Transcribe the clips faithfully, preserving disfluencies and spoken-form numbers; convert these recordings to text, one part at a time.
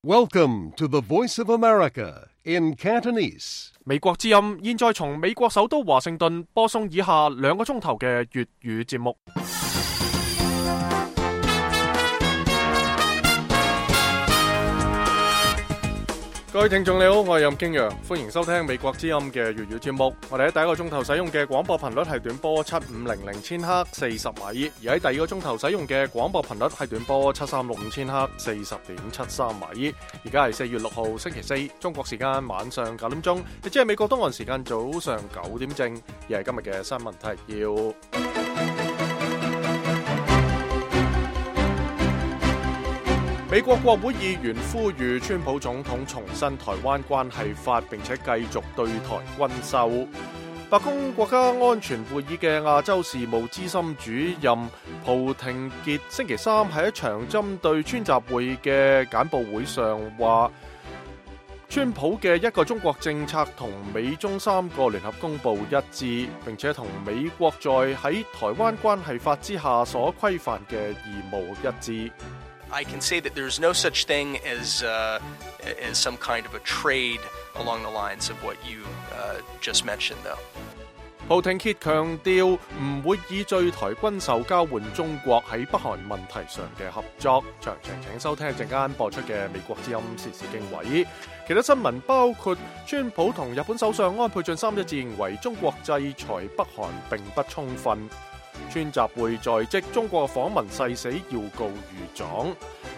Welcome to the Voice of America in Cantonese. 美國之音現在從美國首都華盛頓播送以下兩個鐘頭嘅粵語節目。各位聽眾你好，我係任敬陽，歡迎收聽美國之音嘅粵語節目。我哋喺第一個鐘頭使用嘅廣播頻率係短波七五零零千赫四十米，而喺第二個鐘頭使用嘅廣播頻率係短波七三六五千赫四十點七三米。而家係四月六號星期四，中國時間晚上九點鐘，亦即係美國東岸時間早上九點正。而係今日嘅新聞提要。美國國會議員呼籲川普總統重申台灣關係法，並且繼續對台軍售。白宮國家安全會議嘅亞洲事務資深主任蒲廷傑星期三喺一場針對川習會嘅簡報會上話，川普嘅一個中國政策同美中三個聯合公報一致，並且同美國在喺台灣關係法之下所規範嘅義務一致。I can say that there's no such thing as, uh, as some kind of a trade along the lines of what you uh, just mentioned, though. 蒲廷傑強調唔會以對台軍售交換中國喺北韓問題上嘅合作。詳情請收聽一陣間播出嘅美國之音時事經緯。其他新聞包括川普同日本首相安倍晉三一致認為中國制裁北韓並不充分。川習會在即，中國訪問誓死要告御狀。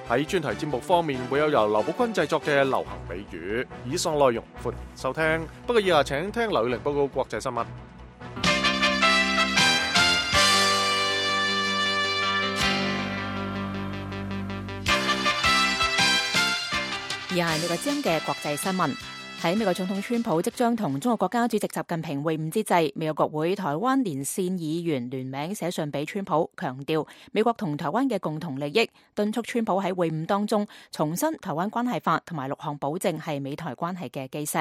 喺專題節目方面，會有由劉寶坤製作嘅流行美語。以上內容歡迎收聽。不過以下請聽劉宇玲報告國際新聞。以下係美國之音嘅國際新聞。喺美國總統川普即將同中國國家主席習近平會晤之際，美國國會台灣連線議員聯名寫信俾川普，強調美國同台灣嘅共同利益，敦促川普喺會晤當中重申台灣關係法同埋六項保證係美台關係嘅基石。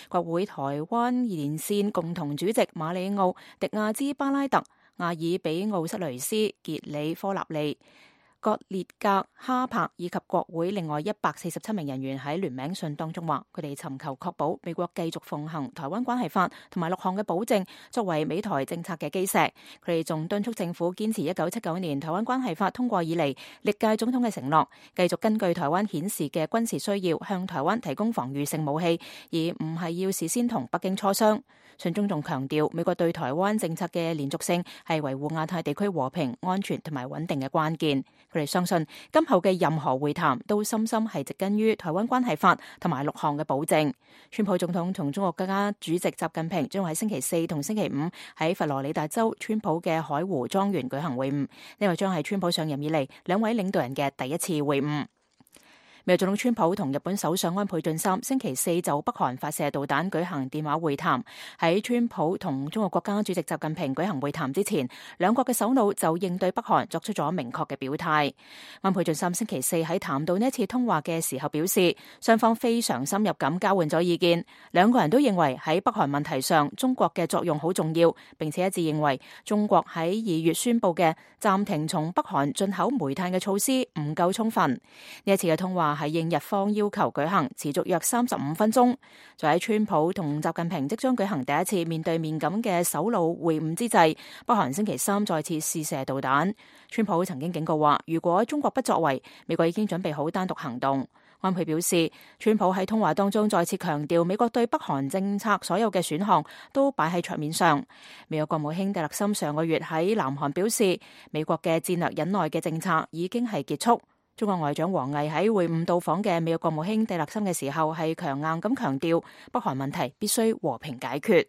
國會台灣連線共同主席馬里奧·迪亞茲巴拉特、阿爾比奧塞雷斯、傑里科納利、葛列格哈柏以及國會另外一百四十七名人員喺聯名信當中話，佢哋尋求確保美國繼續奉行台灣關係法同埋六項嘅保證作為美台政策嘅基石。佢哋仲敦促政府堅持一九七九年台灣關係法通過以嚟歷屆總統嘅承諾，繼續根據台灣顯示嘅軍事需要向台灣提供防禦性武器，而唔係要事先同北京磋商。信中仲強調美國對台灣政策嘅連續性係維護亞太地區和平、安全同埋穩定嘅關鍵。佢哋相信今後嘅任何會談都深深係植根於台灣關係法同埋六項嘅保證。川普總統同中國國家主席習近平將喺星期四同星期五喺佛羅里達州川普嘅海湖莊園舉行會晤，呢個將係川普上任以嚟兩位領導人嘅第一次會晤。美國總統川普同日本首相安倍晉三星期四就北韓發射導彈舉行電話會談。喺川普同中國國家主席習近平舉行會談之前，兩國嘅首腦就應對北韓作出咗明確嘅表態。安倍晉三星期四喺談到呢一次通話嘅時候表示，雙方非常深入咁交換咗意見，兩個人都認為喺北韓問題上中國嘅作用好重要，並且一致認為中國喺二月宣布嘅暫停從北韓進口煤炭嘅措施唔夠充分。呢一次嘅通話係應日方要求舉行，持續約三十五分鐘。就喺川普同習近平即將舉行第一次面對面咁嘅首腦會晤之際，北韓星期三再次試射導彈。川普曾經警告話，如果中國不作為，美國已經準備好單獨行動。安倍表示，川普喺通話當中再次強調，美國對北韓政策所有嘅選項都擺喺桌面上。美國國務卿蒂勒森上個月喺南韓表示，美國嘅戰略忍耐嘅政策已經係結束。中國外長王毅喺會晤到訪嘅美國國務卿蒂勒森嘅時候，係強硬咁強調北韓問題必須和平解決。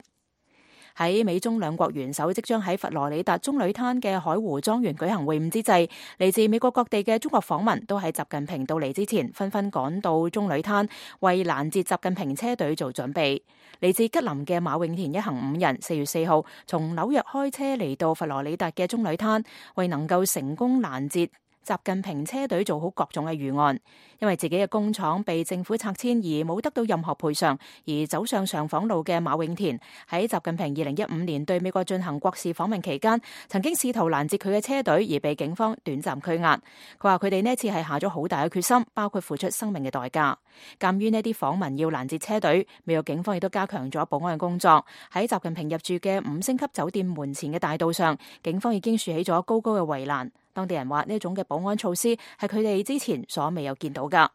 喺美中兩國元首即將喺佛羅里達棕櫚灘嘅海湖莊園舉行會晤之際，嚟自美國各地嘅中國訪民都喺習近平到嚟之前紛紛趕到棕櫚灘，為攔截習近平車隊做準備。嚟自吉林嘅馬永田一行五人四月四號從紐約開車嚟到佛羅里達嘅棕櫚灘，為能夠成功攔截習近平車隊做好各種嘅預案。因為自己嘅工廠被政府拆遷而冇得到任何賠償，而走上上訪路嘅馬永田喺習近平二零一五年對美國進行國事訪問期間，曾經試圖攔截佢嘅車隊，而被警方短暫拘押。佢話佢哋呢次係下咗好大嘅決心，包括付出生命嘅代價。鑑於呢啲訪民要攔截車隊，美國警方亦都加強咗保安嘅工作。喺習近平入住嘅五星級酒店門前嘅大道上，警方已經豎起咗高高嘅圍欄。當地人話呢一種嘅保安措施係佢哋之前所未有見到㗎。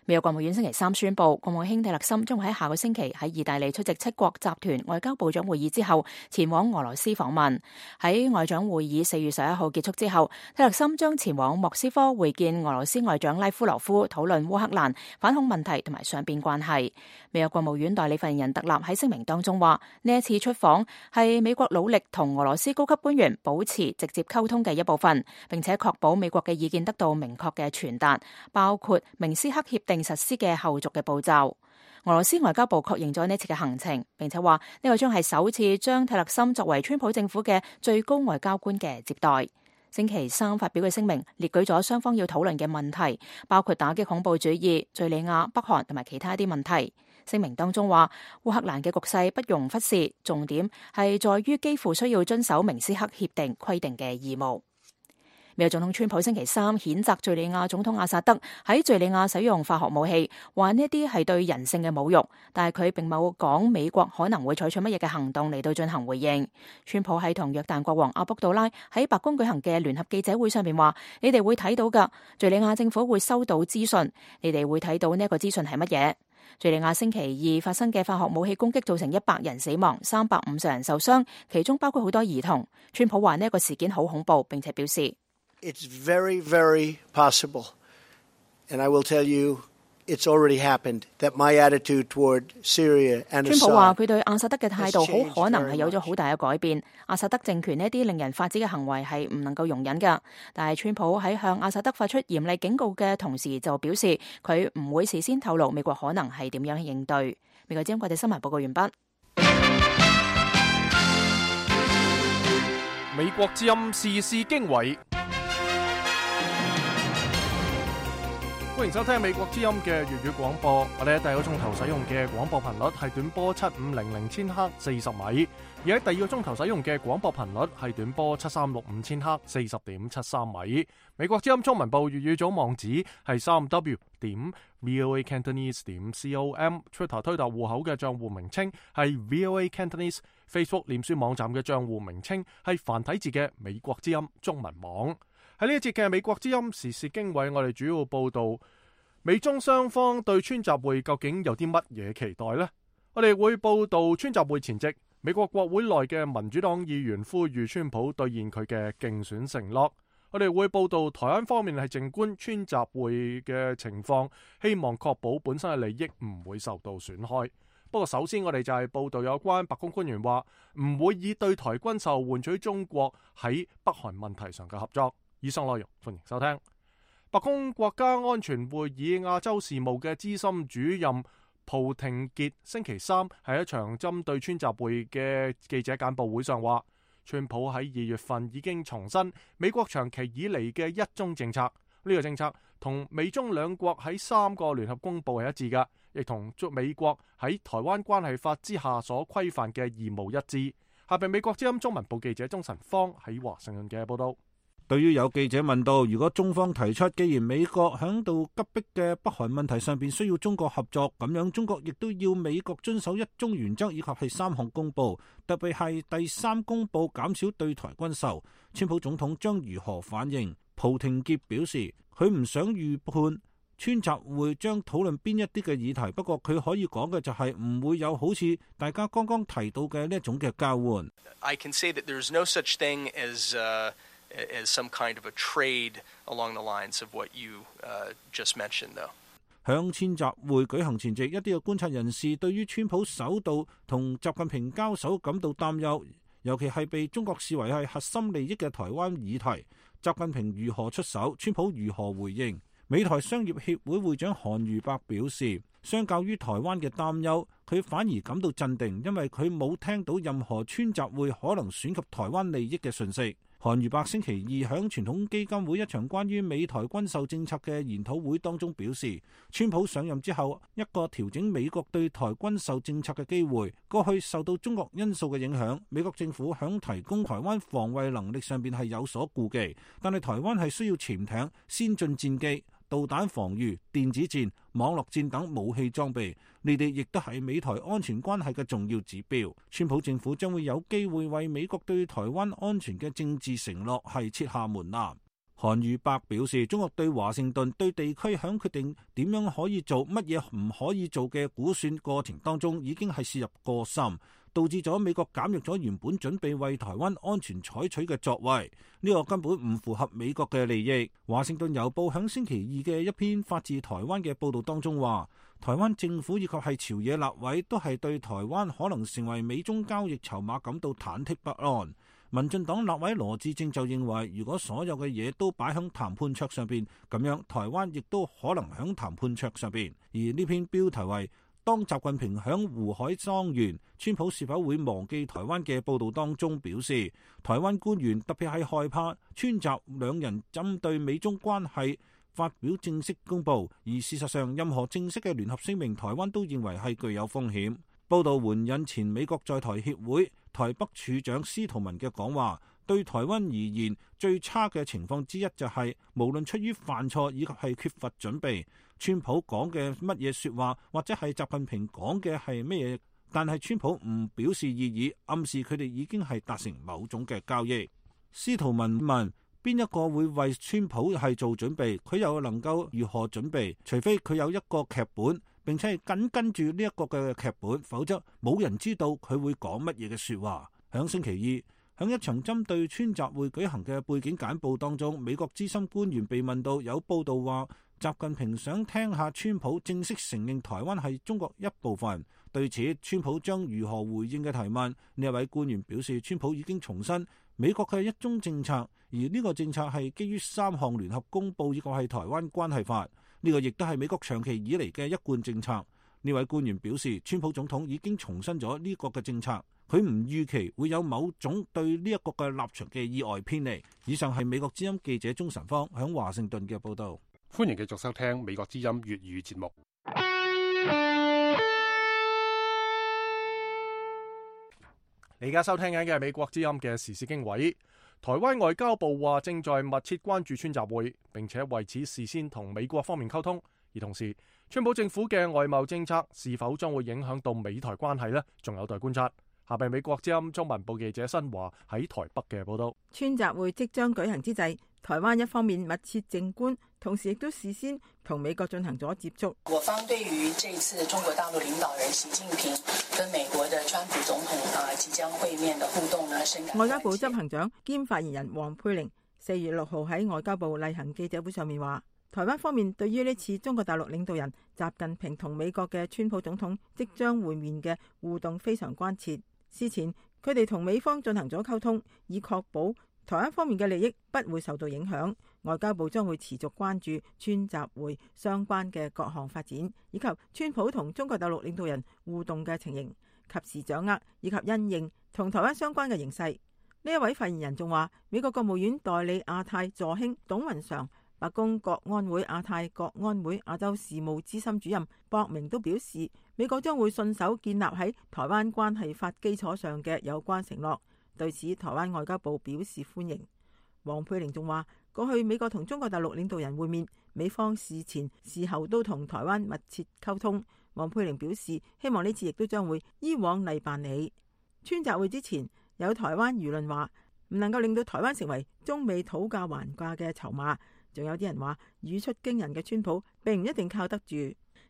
美國國務院星期三宣布，國務卿蒂勒森將會喺下個星期喺意大利出席七國集團外交部長會議之後，前往俄羅斯訪問。喺外長會議四月十一號結束之後，蒂勒森將前往莫斯科會見俄羅斯外長拉夫羅夫，討論烏克蘭反恐問題同埋雙邊關係。美國國務院代理發言人特納喺聲明當中話，呢一次出訪係美國努力同俄羅斯高級官員保持直接溝通嘅一部分，並且確保美國嘅意見得到明確嘅傳達，包括明斯克協定實施嘅後續嘅步驟。俄羅斯外交部確認咗呢次嘅行程，並且話呢個將係首次將蒂勒森作為川普政府嘅最高外交官嘅接待。星期三發表嘅聲明列舉咗雙方要討論嘅問題，包括打擊恐怖主義、敘利亞、北韓同埋其他一啲問題。聲明當中話，烏克蘭嘅局勢不容忽視，重點係在於幾乎需要遵守明斯克協定規定嘅義務。美國總統川普星期三譴責敘利亞總統阿薩德喺敘利亞使用化學武器，話呢啲係對人性嘅侮辱，但係佢並冇講美國可能會採取乜嘢嘅行動嚟到進行回應。川普喺同約旦國王阿卜杜拉喺白宮舉行嘅聯合記者會上面話，你哋會睇到㗎，敘利亞政府會收到資訊，你哋會睇到呢一個資訊係乜嘢。敘利亞星期二發生嘅化學武器攻擊造成一百人死亡，三百五十人受傷，其中包括好多兒童。川普話呢一個事件好恐怖，並且表示It's very, very possible, and I will tell you, it's already happened, that my attitude toward Syria and Assad. 川普話佢對阿薩德嘅態度好可能係有咗好大嘅改變。阿薩德政權呢啲令人髮指嘅行為係唔能夠容忍㗎。但係川普喺向阿薩德發出嚴厲警告嘅同時，就表示佢唔會事先透露美國可能係點樣應對。美國之音國際新聞報告完畢。美國之音時事經緯。歡迎收聽美國之音嘅粵語廣播。我哋喺第一個鐘頭使用嘅廣播頻率係短波七五零零千赫四十米，而喺第二個鐘頭使用嘅廣播頻率係短波七三六五千赫四十點七三米。美國之音中文部粵語組網址係三 w 點 voacantonese 點 com，Twitter 推特戶口嘅賬戶名稱係 voacantonese，Facebook 臉書網站嘅賬戶名稱係繁體字嘅美國之音中文網。喺呢一節嘅美國之音時事經緯，我哋主要報道美中雙方對川習會究竟有啲乜嘢期待呢？我哋會報道川習會前夕，美國國會內嘅民主黨議員呼籲川普兌現佢嘅競選承諾。我哋會報道台灣方面係靜觀川習會嘅情況，希望確保本身嘅利益唔會受到損害。不過首先我哋就係報道有關白宮官員話唔會以對台軍售換取中國喺北韓問題上嘅合作。以上內容歡迎收聽。白宮國家安全會議亞洲事務嘅資深主任蒲廷傑星期三喺一場針對川習會嘅記者簡報會上話，川普喺二月份已經重申美國長期以嚟嘅一中政策，呢、這個政策同美中兩國喺三個聯合公報係一致嘅，亦同美國喺台灣關係法之下所規範嘅義務一致。下邊美國之音中文部記者鍾晨芳喺華盛頓嘅報道。對於有記者問到，如果中方提出，既然美國響度急迫嘅北韓問題上邊需要中國合作，咁樣中國亦都要美國遵守一中原則以及係三項公報，特別係第三公報減少對台軍售，川普總統將如何反應？蒲廷傑表示，佢唔想預判川習會將討論邊一啲嘅議題，不過佢可以講嘅就係唔會有好似大家剛剛提到嘅呢一種嘅交換。I can say that there's no such thing as uh as some kind of a trade along the lines of what you uh, just mentioned, though. 響川習會舉行前夕，一啲嘅觀察人士對於川普首度同習近平交手感到擔憂，尤其係被中國視為係核心利益嘅台灣議題，習近平如何出手，川普如何回應？美台商業協會會長韓如伯表示，相較於台灣嘅擔憂，佢反而感到鎮定，因為佢冇聽到任何川習會可能損及台灣利益嘅訊息。韓如白星期二響傳統基金會一場關於美台軍售政策嘅研討會當中表示，川普上任之後一個調整美國對台軍售政策嘅機會，過去受到中國因素嘅影響，美國政府響提供台灣防衛能力上邊係有所顧忌，但係台灣係需要潛艇、先進戰機、導彈防禦、電子戰、網絡戰等武器裝備，呢啲亦都係美台安全關係嘅重要指標。川普政府將會有機會為美國對台灣安全嘅政治承諾係設下門檻。韓宇伯表示，中國對華盛頓對地區響決定點樣可以做、乜嘢唔可以做嘅估算過程當中，已經係涉入過深，導致咗美國減弱咗原本準備為台灣安全採取嘅作為，呢、這個根本唔符合美國嘅利益。華盛頓郵報響星期二嘅一篇發自台灣嘅報道當中話，台灣政府以及係朝野立委都係對台灣可能成為美中交易籌碼感到忐忑不安。民進黨立委羅致政就認為，如果所有嘅嘢都擺喺談判桌上邊，咁樣台灣亦都可能喺談判桌上邊。而呢篇標題為當習近平響胡海莊園，川普是否會忘記台灣嘅報道當中表示，台灣官員特別係害怕川習兩人針對美中關係發表正式公佈，而事實上任何正式嘅聯合聲明，台灣都認為係具有風險。報道援引前美國在台協會台北處長司徒文嘅講話，對台灣而言最差嘅情況之一就係、是、無論出於犯錯以及係缺乏準備，川普講嘅乜嘢說話或者係習近平講嘅係乜嘢，但係川普唔表示異議，暗示佢哋已經係達成某種嘅交易。司徒文問邊一個會為川普係做準備，佢又能夠如何準備？除非佢有一個劇本，並且係緊跟住呢一個嘅劇本，否則冇人知道佢會講乜嘢嘅說話。響星期二，響一場針對川習會舉行嘅背景簡報當中，美國資深官員被問到有報道話習近平想聽下川普正式承認台灣係中國一部分，對此川普將如何回應嘅提問，呢一位官員表示，川普已經重申美國嘅一中政策，而呢個政策係基於三項聯合公報以及係台灣關係法，呢個亦都係美國長期以嚟嘅一貫政策。呢位官員表示，川普總統已經重申咗呢個嘅政策，佢唔預期會有某種對呢一個嘅立場嘅意外偏離。以上係美國之音記者鍾晨芳響華盛頓嘅報道。歡迎繼續收聽美國之音粵語節目。你而家收聽緊嘅係美國之音嘅時事經緯。台灣外交部話正在密切關注川習會，並且為此事先同美國方面溝通。而同時，川普政府嘅外貿政策是否將會影響到美台關係呢？仲有待觀察。下邊美國之音中文部記者新華喺台北嘅報道。川習會即將舉行之際，台灣一方面密切靜觀，同時亦都事先同美國進行咗接觸。我方對於這次中國大陸領導人習近平跟美國的川普總統啊即將會面的互動呢，深感。外交部執行長兼發言人黃佩玲四月六號喺外交部例行記者會上面話，台灣方面對於呢次中國大陸領導人習近平同美國嘅川普總統即將會面嘅互動非常關切。事前佢哋同美方進行咗溝通，以確保台灣方面嘅利益不會受到影響。外交部將會持續關注川習會相關嘅各項發展，以及川普同中國大陸領導人互動嘅情形，及時掌握以及因應同台灣相關嘅形勢。呢一位發言人仲話，美國國務院代理亞太助卿董雲常、白宮國安會亞太國安會亞洲事務資深主任博明都表示，美國將會信守建立喺台灣關係法基礎上嘅有關承諾。對此，台灣外交部表示歡迎。黃佩玲仲話，過去美國同中國大陸領導人會面，美方事前事後都同台灣密切溝通。黃佩玲表示，希望呢次亦都將會依往例辦理。川習會之前，有台灣輿論話唔能夠令到台灣成為中美討價還價嘅籌碼。仲有啲人話，語出驚人嘅川普並唔一定靠得住。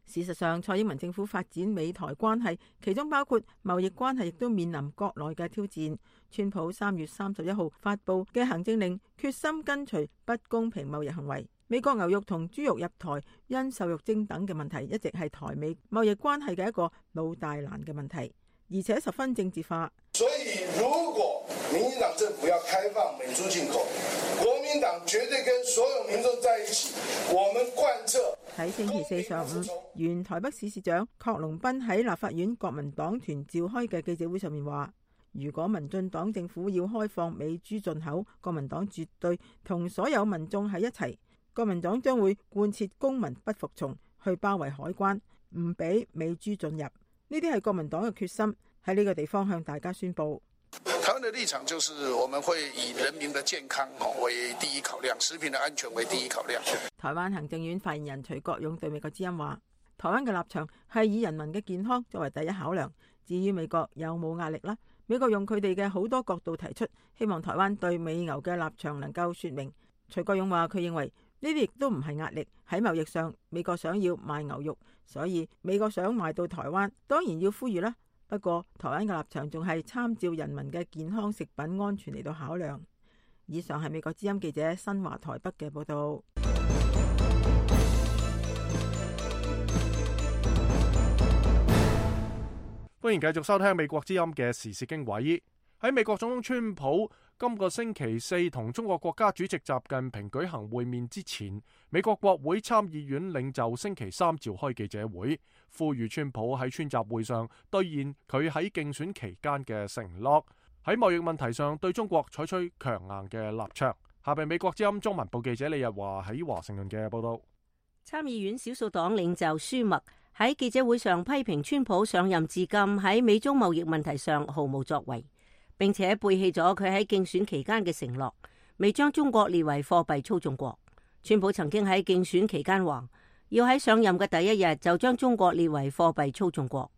事實上，蔡英文政府發展美台關係，其中包括貿易關係，亦都面臨國內嘅挑戰。川普三月三十一號發布嘅行政令，決心跟隨不公平貿易行為。美國牛肉同豬肉入台因瘦肉精等嘅問題，一直係台美貿易關係嘅一個老大難嘅問題，而且十分政治化。所以，如果民進黨政府要開放美豬進口，國民黨絕對跟所有民眾在一起，我們貫徹。喺星期四上午，原台北市市長郝龍斌喺立法院國民黨團召開嘅記者會上面話，如果民進黨政府要開放美豬進口，國民黨絕對同所有民眾喺一齊。國民黨將會貫徹公民不服從，去包圍海關，唔俾美豬進入。呢啲係國民黨嘅決心，喺呢個地方向大家宣佈。台灣的立場就是我們會以人民的健康為第一考量，食品的安全為第一考量。台灣行政院發言人徐國勇對美國之音話，台灣嘅立場係以人民嘅健康作為第一考量，至於美國有冇壓力啦？美國用佢哋嘅好多角度提出，希望台灣對美牛嘅立場能夠說明。徐國勇話佢認為呢啲亦都唔係壓力，喺貿易上美國想要賣牛肉，所以美國想賣到台灣，當然要呼籲啦。不過台灣嘅立場仲係參照人民嘅健康食品安全嚟到考量。以上係美國之音記者新華台北嘅報道。歡迎繼續收聽美國之音嘅時事經緯。喺美國總統川普今個星期四同中國國家主席習近平舉行會面之前，美國國會參議院領袖星期三召開記者會，呼籲川普喺川習會上兌現佢喺競選期間嘅承諾，喺貿易問題上對中國採取強硬嘅立場。下邊美國之音中文部記者李日華喺華盛頓嘅報道。參議院少數黨領袖舒默喺記者會上批評川普上任至今喺美中貿易問題上毫無作為，並且背棄咗佢喺競選期間嘅承諾，未將中國列為貨幣操縱國。川普曾經喺競選期間話，要喺上任嘅第一日就將中國列為貨幣操縱國。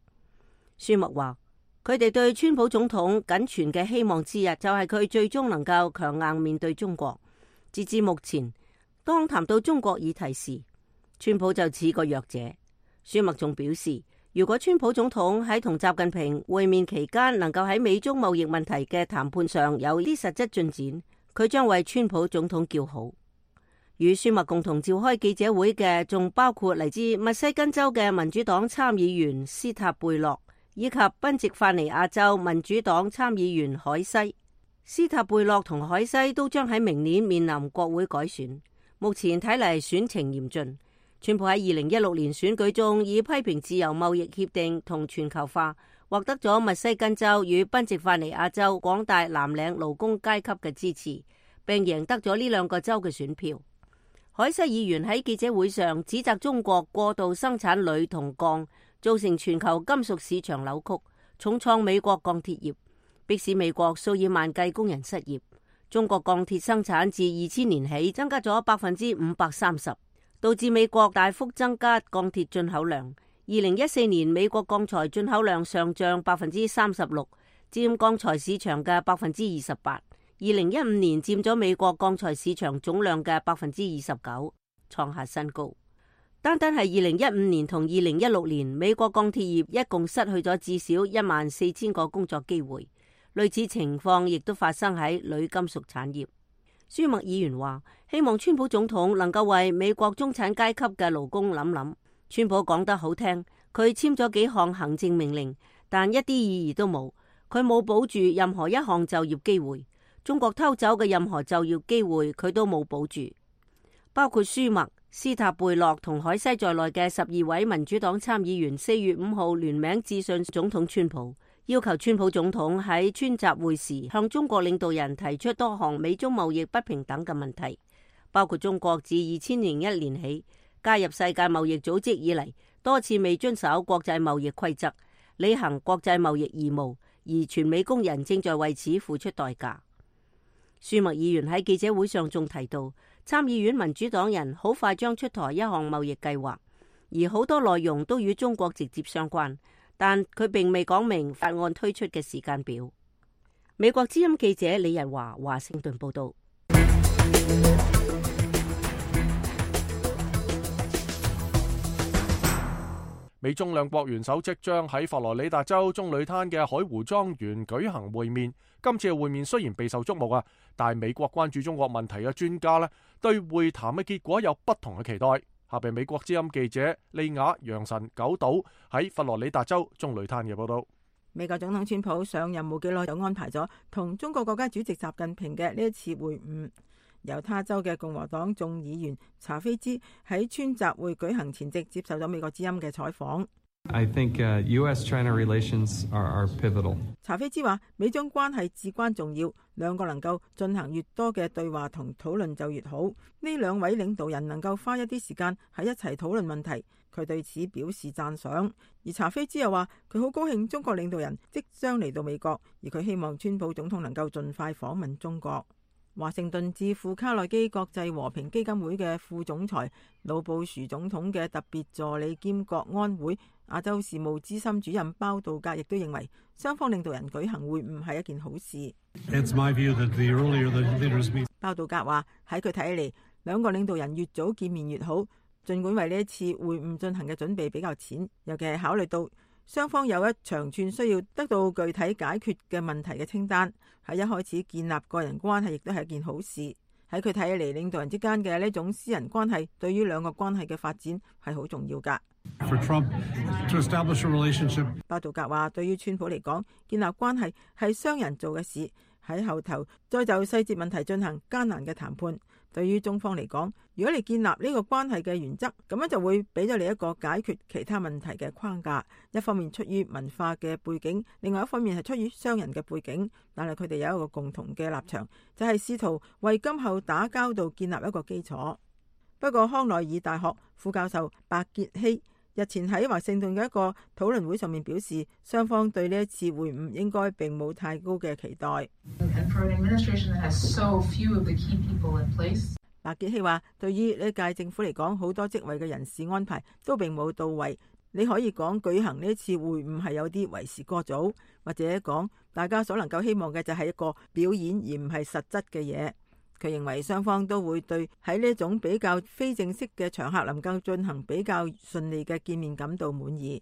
舒默話，佢哋對川普總統僅存嘅希望之日就係佢最終能夠強硬面對中國。截至目前，當談到中國議題時，川普就似個弱者。舒默仲表示，如果川普總統喺同習近平會面期間能夠喺美中貿易問題嘅談判上有啲實質進展，佢將為川普總統叫好。與舒默共同召開記者會嘅仲包括嚟自密西根州嘅民主黨參議員斯塔貝洛，以及賓夕法尼亞州民主黨參議員海西。斯塔貝洛同海西都將喺明年面臨國會改選，目前睇嚟選情嚴峻。川普喺二零一六年選舉中以批評自由貿易協定同全球化，獲得咗密西根州與賓夕法尼亞州廣大藍領勞工階級嘅支持，並贏得咗呢兩個州嘅選票。海西議員喺記者會上指責中國過度生產鋁同鋼，造成全球金屬市場扭曲，重創美國鋼鐵業，迫使美國數以萬計工人失業。中國鋼鐵生產自二千年起增加咗百分之五百三十。導致美國大幅增加鋼鐵進口量。二零一四年美國鋼材進口量上漲百分之三十六，佔鋼材市場嘅百分之二十八。二零一五年佔咗美國鋼材市場總量嘅百分之二十九，創下新高。單單係二零一五年同二零一六年，美國鋼鐵業一共失去咗至少一萬四千個工作機會。類似情況亦都發生喺鋁金屬產業。舒默議員話，希望川普總統能夠為美國中產階級嘅勞工諗諗。川普講得好聽，佢簽咗幾項行政命令，但一啲意義都冇。佢冇保住任何一項就業機會，中國偷走嘅任何就業機會佢都冇保住。包括舒默、斯塔貝洛同海西在內嘅十二位民主黨參議員四月五號聯名致信總統川普，要求川普總統喺川習會時向中國領導人提出多項美中貿易不平等嘅問題，包括中國自二千零一年起加入世界貿易組織以嚟，多次未遵守國際貿易規則，履行國際貿易義務，而全美工人正在為此付出代價。舒默議員喺記者會上仲提到，參議院民主黨人好快將出台一項貿易計劃，而好多內容都與中國直接相關。但佢並未講明法案推出嘅時間表。美國之音記者李日華華盛頓報道。美中兩國元首即將喺佛羅里達州棕櫚灘嘅海湖莊園舉行會面。今次嘅會面雖然備受矚目啊，但係美國關注中國問題嘅專家呢，對會談嘅結果有不同嘅期待。下邊美國之音記者利亞楊臣九島喺佛羅里達州棕櫚灘嘅報道。美國總統川普上任冇幾耐就安排咗同中國國家主席習近平嘅呢一次會晤。猶他州嘅共和黨眾議員查菲茲喺川習會舉行前夕接受咗美國之音嘅採訪。I think uh, U S China relations are, are pivotal. 查菲茲話：美中關係至關重要，兩個能夠進行越多嘅對話同討論就越好。呢兩位領導人能夠花一啲時間喺一齊討論問題，佢對此表示讚賞。而查菲茲又話：佢好高興中國領導人即將嚟到美國，而佢希望川普總統能夠盡快訪問中國。華盛頓智庫卡內基國際和平基金會嘅副總裁、老布殊總統嘅特別助理兼國安會亞洲事務資深主任包道格亦都認為，雙方領導人舉行會晤係一件好事。包道格話：喺佢睇嚟，兩個領導人越早見面越好。儘管為呢一次會晤進行嘅準備比較淺，尤其係考慮到雙方有一長串需要得到具體解決嘅問題嘅清單，喺一開始建立個人關係亦都係一件好事。喺佢睇嚟，領導人之間嘅呢種私人關係對於兩個關係嘅發展係好重要㗎。包道格話：對於川普嚟講，建立關係係商人做嘅事，喺後頭再就細節問題進行艱難嘅談判。對於中方嚟講，如果你建立呢個關係嘅原則，咁樣就會俾咗你一個解決其他問題嘅框架。一方面出於文化嘅背景，另外一方面係出於商人嘅背景，但係佢哋有一個共同嘅立場，就係試圖為今後打交道建立一個基礎。不過康奈爾大學副教授白傑希日前喺華盛頓嘅一個討論會上面表示，雙方對呢一次會晤應該並冇太高嘅期待。白傑希話：對於呢屆政府嚟講，好多職位嘅人事安排都並冇到位。你可以講舉行呢次會晤係有啲為時過早，或者講大家所能夠希望嘅就係一個表演而唔係實質嘅嘢。佢認為雙方都會對喺呢種比較非正式嘅場合能夠進行比較順利嘅見面感到滿意。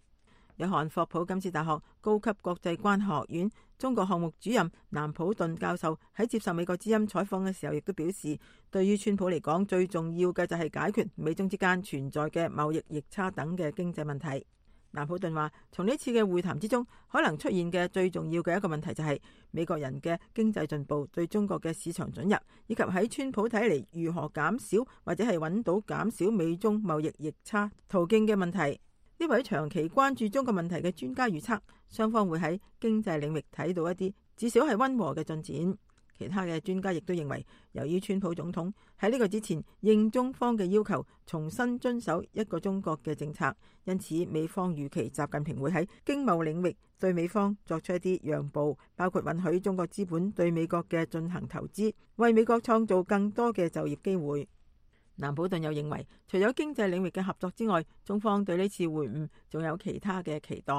約翰霍普金斯大學高級國際關係學院中國項目主任南普頓教授喺接受美國之音採訪嘅時候，亦都表示，對於川普嚟講，最重要嘅就係解決美中之間存在嘅貿易逆差等嘅經濟問題。南普頓話，從呢次嘅會談之中，可能出現嘅最重要嘅一個問題就係美國人嘅經濟進步對中國嘅市場准入，以及喺川普睇嚟如何減少或者係揾到減少美中貿易逆差途徑嘅問題。呢位長期關注中國問題嘅專家預測，雙方會喺經濟領域睇到一啲至少係溫和嘅進展。其他嘅專家亦都認為，由於川普總統喺呢個之前應中方嘅要求重新遵守一個中國嘅政策，因此美方預期習近平會喺經貿領域對美方作出一啲讓步，包括允許中國資本對美國嘅進行投資，為美國創造更多嘅就業機會。南普頓又認為，除咗經濟領域嘅合作之外，中方對呢次會晤仲有其他嘅期待。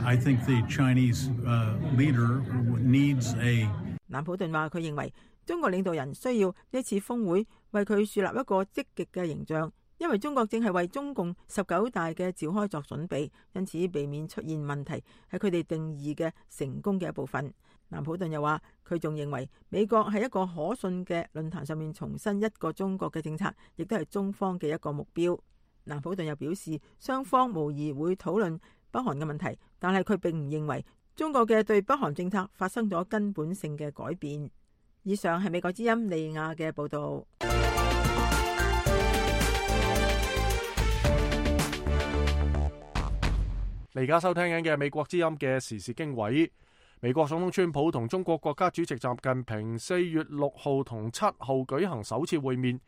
I think the Chinese, uh, leader needs a... 南普頓話，佢認為中國領導人需要呢次峰會為佢樹立一個積極嘅形象，因為中國正係為中共十九大嘅召開作準備，因此避免出現問題係佢哋定義嘅成功嘅一部分。南普頓又話，佢仲認為美國喺一個可信嘅論壇上面重申一個中國嘅政策，亦都係中方嘅一個目標。南普頓又表示，雙方無疑會討論北韓嘅問題，但係佢並唔認為中國嘅對北韓政策發生咗根本性嘅改變。以上係美國之音利亞嘅報道。你而家收聽緊嘅美國之音嘅時事經緯。美國總統川普同中國國家主席習近平四月六號同七號舉行首次會面。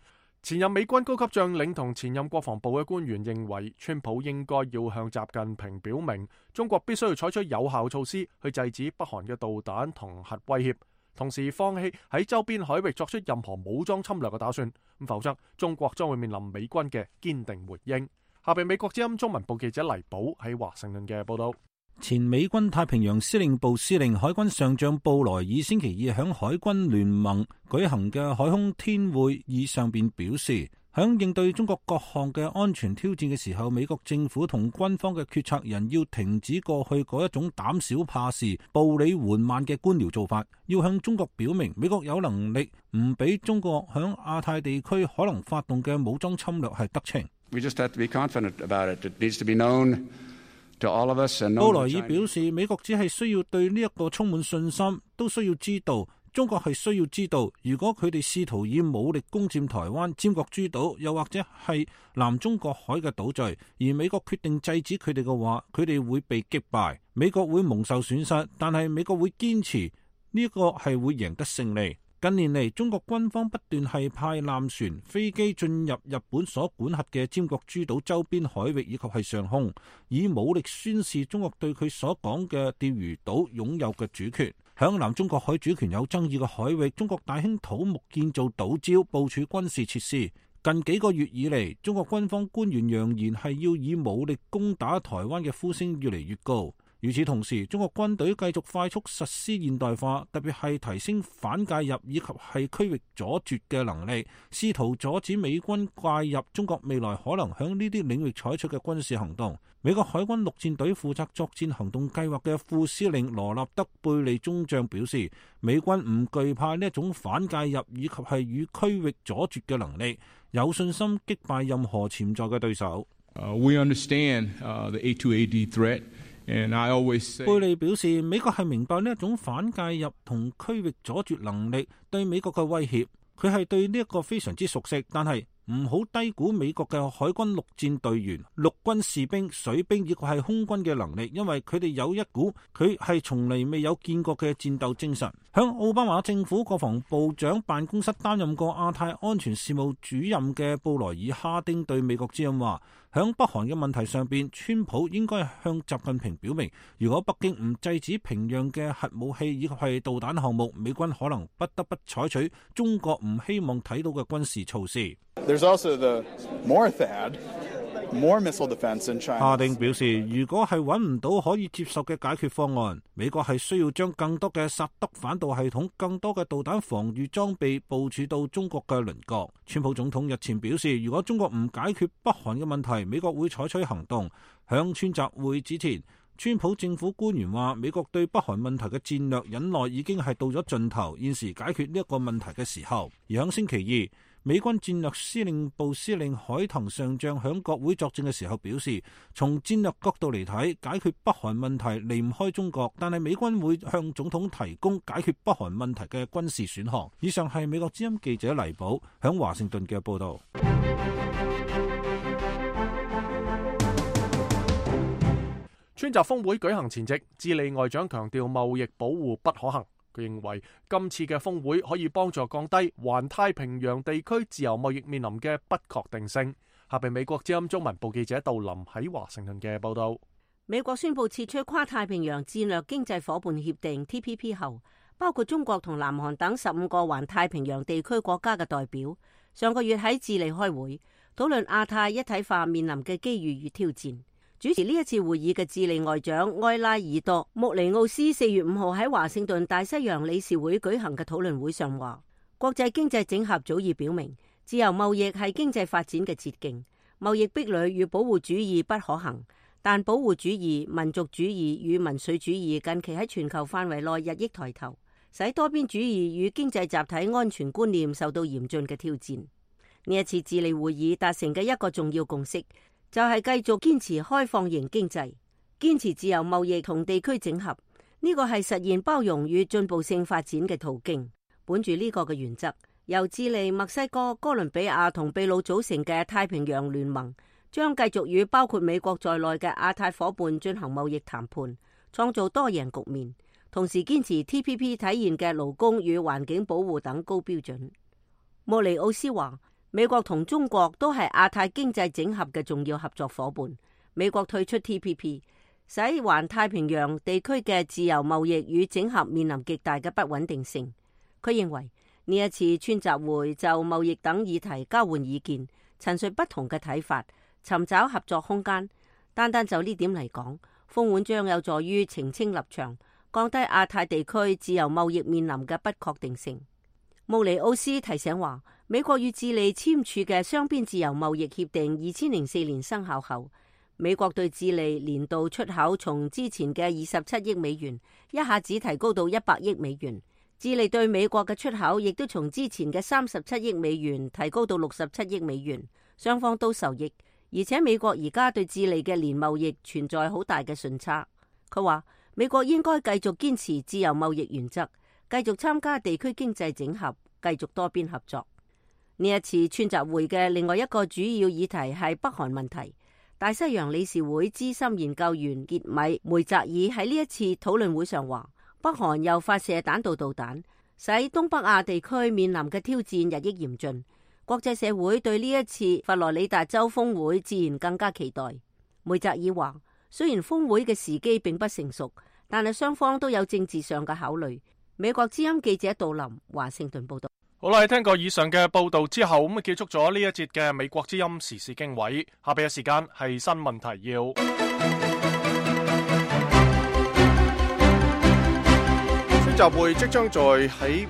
前任美軍高級將領同前任國防部嘅官員認為，川普應該要向習近平表明，中國必須要採取有效措施去制止北韓嘅導彈同核威脅，同時放棄喺周邊海域作出任何武裝侵略嘅打算，咁否則中國將會面臨美軍嘅堅定回應。下邊美國之音中文部記者黎寶喺華盛頓嘅報道。前美軍太平洋司令部司令海軍上將布萊爾星期二響海軍聯盟舉行嘅海空天會議上邊表示，響應對中國各項嘅安全挑戰嘅時候，美國政府同軍方嘅決策人要停止過去嗰一種膽小怕事、步履緩慢嘅官僚做法，要向中國表明美國有能力唔俾中國響亞太地區可能發動嘅武裝侵略係得逞。We just have to be confident about it. It needs to be known to all of us and known to China. 布萊爾表示，美國只係需要對呢一個充滿信心，都需要知道中國係需要知道，如果佢哋試圖以武力攻佔台灣、尖閣諸島，又或者係南中國海嘅島嶼，而美國決定制止佢哋嘅話，佢哋會被擊敗，美國會蒙受損失，但係美國會堅持呢個係會贏得勝利。近年嚟，中國軍方不斷係派艦船、飛機進入日本所管轄嘅尖閣諸島周邊海域以及係上空，以武力宣示中國對佢所講嘅釣魚島擁有嘅主權。響南中國海主權有爭議嘅海域，中國大興土木建造島礁，部署軍事設施。近幾個月以嚟，中國軍方官員揚言係要以武力攻打台灣嘅呼聲越嚟越高。與此同時，中國軍隊繼續快速實施現代化，特別係提升反介入以及係區域阻絕嘅能力，試圖阻止美軍介入中國未來可能響呢啲領域採取嘅軍事行動。美國海軍陸戰隊負責作戰行動計劃嘅副司令羅納德貝利中將表示，美軍唔懼怕呢一種反介入以及係與區域阻絕嘅能力，有信心擊敗任何潛在嘅對手。Uh, we understand, uh, the A two A D threat. And I always say, 貝利表示，美國係明白呢一種反介入同區域阻絕能力對美國嘅威脅，佢係對呢一個非常之熟悉，但係唔好低估美國嘅海軍陸戰隊員、陸軍士兵、水兵以及係空軍嘅能力，因為佢哋有一股佢係從嚟未有見過嘅戰鬥精神。響奧巴馬政府國防部長辦公室擔任過亞太安全事務主任嘅布萊爾哈丁對美國之音話，響北韓嘅問題上邊，川普應該向習近平表明，如果北京唔制止平壤嘅核武器以及係導彈項目，美軍可能不得不採取中國唔希望睇到嘅軍事措施。There's also the more T H A D, more missile defense in China. 哈丁表示，如果係揾唔到可以接受嘅解決方案，美國係需要將更多嘅薩德反導系統、更多嘅導彈防禦裝備部署到中國嘅鄰國。川普總統日前表示，如果中國唔解決北韓嘅問題，美國會採取行動。響川習會之前，川普政府官員話，美國對北韓問題嘅戰略忍耐已經係到咗盡頭，現時解決呢一個問題嘅時候。而響星期二，美軍戰略司令部司令海騰上將響國會作證嘅時候表示，從戰略角度嚟睇，解決北韓問題離唔開中國，但係美軍會向總統提供解決北韓問題嘅軍事選項。以上係美國之音記者黎寶響華盛頓嘅報道。川習峰會舉行前夕，智利外長強調貿易保護不可行。佢認為今次嘅峰會可以幫助降低環太平洋地區自由貿易面臨嘅不確定性。下邊美國之音中文部記者杜林喺華盛頓嘅報道。美國宣布撤出跨太平洋戰略經濟夥伴協定 T P P 後，包括中國同南韓等十五個環太平洋地區國家嘅代表，上個月喺智利開會，討論亞太一體化面臨嘅機遇與挑戰。主持呢一次會議嘅智利外長埃拉爾多穆尼奧斯四月五號喺華盛頓大西洋理事會舉行嘅討論會上話，國際經濟整合早已表明，自由貿易係經濟發展嘅捷徑，貿易壁壘與保護主義不可行，但保護主義、民族主義與民粹主義近期喺全球範圍內日益抬頭，使多邊主義與經濟集體安全觀念受到嚴峻嘅挑戰。呢一次智利會議達成嘅一個重要共識，就係繼續堅持開放型經濟，堅持自由貿易同地區整合，呢個係實現包容與進步性發展嘅途徑。本住呢個嘅原則，由智利、墨西哥、哥倫比亞同秘魯組成嘅太平洋聯盟，將繼續與包括美國在內嘅亞太夥伴進行貿易談判，創造多贏局面，同時堅持 T P P 體現嘅勞工與環境保護等高標準。莫尼奧斯話，美國同中國都係亞太經濟整合嘅重要合作夥伴。美國退出 T P P， 使環太平洋地區嘅自由貿易與整合面臨極大嘅不穩定性。佢認為呢一次川習會就貿易等議題交換意見，陳述不同嘅睇法，尋找合作空間。單單就呢點嚟講，峰會將有助於澄清立場，降低亞太地區自由貿易面臨嘅不確定性。穆尼奧斯提醒話，美國與智利簽署嘅雙邊自由貿易協定二千零四年生效後，美國對智利年度出口從之前嘅二十七億美元一下子提高到一百億美元，智利對美國嘅出口亦都從之前嘅三十七億美元提高到六十七億美元，雙方都受益。而且美國而家對智利嘅年貿易存在好大嘅順差。佢話美國應該繼續堅持自由貿易原則，繼續參加地區經濟整合，繼續多邊合作。呢一次川習會嘅另外一個主要議題係北韓問題。大西洋理事會資深研究員傑米梅澤爾喺呢一次討論會上話，北韓又發射彈道導彈，使東北亞地區面臨嘅挑戰日益嚴峻。國際社會對呢一次佛羅里達州峰會自然更加期待。梅澤爾話，雖然峰會嘅時機並不成熟，但係雙方都有政治上嘅考慮。美國之音記者杜林華盛頓報道。好啦，聽過以上嘅報道之後，咁啊結束咗呢一節嘅美國之音時事經緯。下邊嘅時間係新聞提要。川習會即將在喺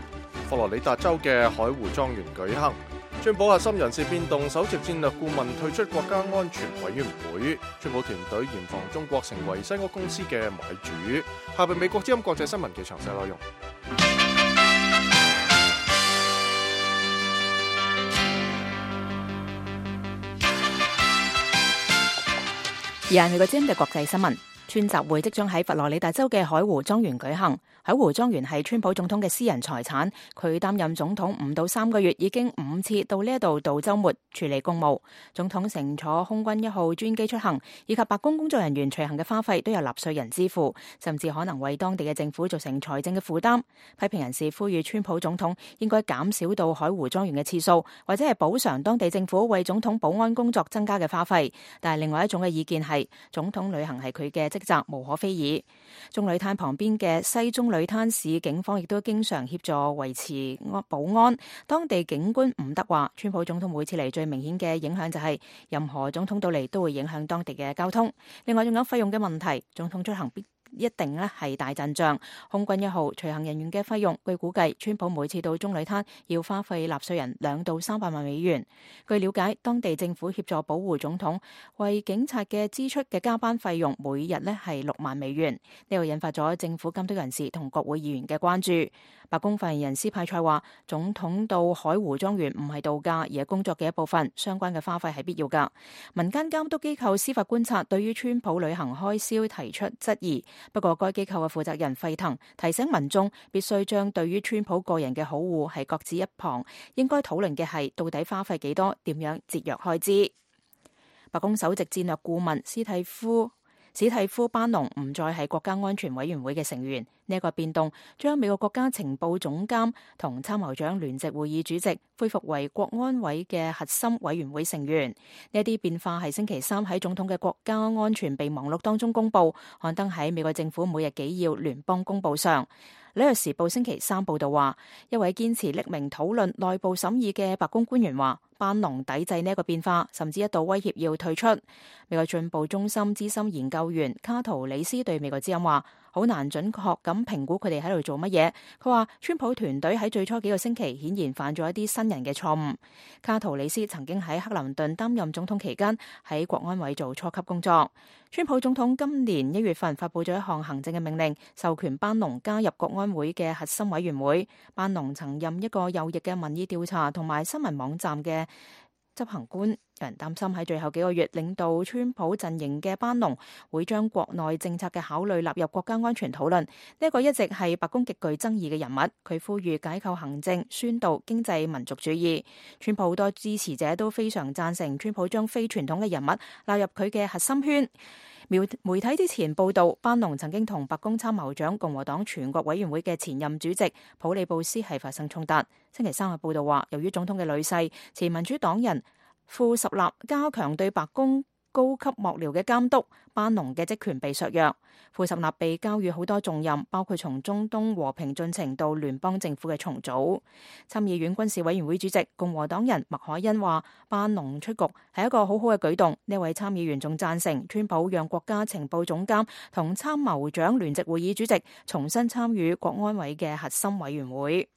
佛羅里達州嘅海湖莊園舉行。川普核心人事變動，首席戰略顧問退出國家安全委員會。川普團隊嚴防中國成為西屋公司嘅買主。下邊美國之音國際新聞嘅詳細內容。而係美國之音嘅國際新聞，川習會即將喺佛羅里達州嘅海湖莊園舉行。海湖莊園係川普總統嘅私人財產，佢擔任總統五到三個月，已經五次到呢一度度週末處理公務。總統乘坐空軍一號專機出行，以及白宮工作人員隨行嘅花費都由納稅人支付，甚至可能為當地嘅政府造成財政嘅負擔。批評人士呼籲川普總統應該減少到海湖莊園嘅次數，或者係補償當地政府為總統保安工作增加嘅花費。但係另外一種嘅意見係，總統旅行係佢嘅職責，無可非議。中旅灘旁邊嘅西中旅灘市警方亦都經常協助維持保安。當地警官伍德話，川普總統每次嚟最明顯嘅影響就係任何總統到嚟都會影響當地嘅交通。另外仲有費用嘅問題，總統出行必一定咧係大陣仗。空軍一號隨行人員嘅費用，據估計，川普每次到中旅灘要花費納稅人兩到三百萬美元。據了解，當地政府協助保護總統，為警察嘅支出嘅加班費用每日咧係六萬美元。呢個引發咗政府監督人士同國會議員嘅關注。白宮發言人斯派塞話，總統到海湖莊園唔係度假，而係工作嘅一部分，相關嘅花費係必要㗎。民間監督機構司法觀察對於川普旅行開銷提出質疑。不過，該機構嘅負責人費騰提醒民眾必須將對於川普個人嘅好惡係擱置一旁，應該討論嘅係到底花費幾多，點樣節約開支。白宮首席戰略顧問史蒂夫史蒂夫班農唔再係國家安全委員會嘅成員。呢一個變動將美國國家情報總監同參謀長聯席會議主席恢復為國安委嘅核心委員會成員。呢一啲變化係星期三喺總統嘅國家安全備忘錄當中公佈，刊登喺美國政府每日紀要聯邦公報上。紐約時報星期三報道話，一位堅持匿名討論內部審議嘅白宮官員話，班農抵制呢一個變化，甚至一度威脅要退出。美國進步中心資深研究員卡圖里斯對美國之音話，好難準確咁評估佢哋喺度做乜嘢。佢話川普團隊喺最初幾個星期顯然犯咗一啲新人嘅錯誤。卡圖里斯曾經喺克林頓擔任總統期間喺國安委做初級工作。川普總統今年一月份發佈咗一項行政嘅命令，授權班農加入國安會嘅核心委員會。班農曾任一個右翼嘅民意調查同埋新聞網站嘅執行官。有人擔心喺最後幾個月領導川普陣營嘅班農會將國內政策嘅考慮納入國家安全討論。呢一個一直係白宮極具爭議嘅人物。佢呼籲解構行政，宣導經濟民族主義。川普好多支持者都非常贊成川普將非傳統嘅人物納入佢嘅核心圈。媒體之前報道，班農曾經同白宮參謀長、共和黨全國委員會嘅前任主席普利布斯係發生衝突。星期三嘅報道話，由於總統嘅女婿前民主黨人庫什納加強對白宮高級幕僚嘅監督，班農嘅職權被削弱。庫什納被交予好多重任，包括從中東和平進程到聯邦政府嘅重組。參議院軍事委員會主席共和黨人麥凱恩話，班農出局係一個好好嘅舉動。呢位參議員仲贊成川普讓國家情報總監同參謀長聯席會議主席重新參與國安委嘅核心委員會。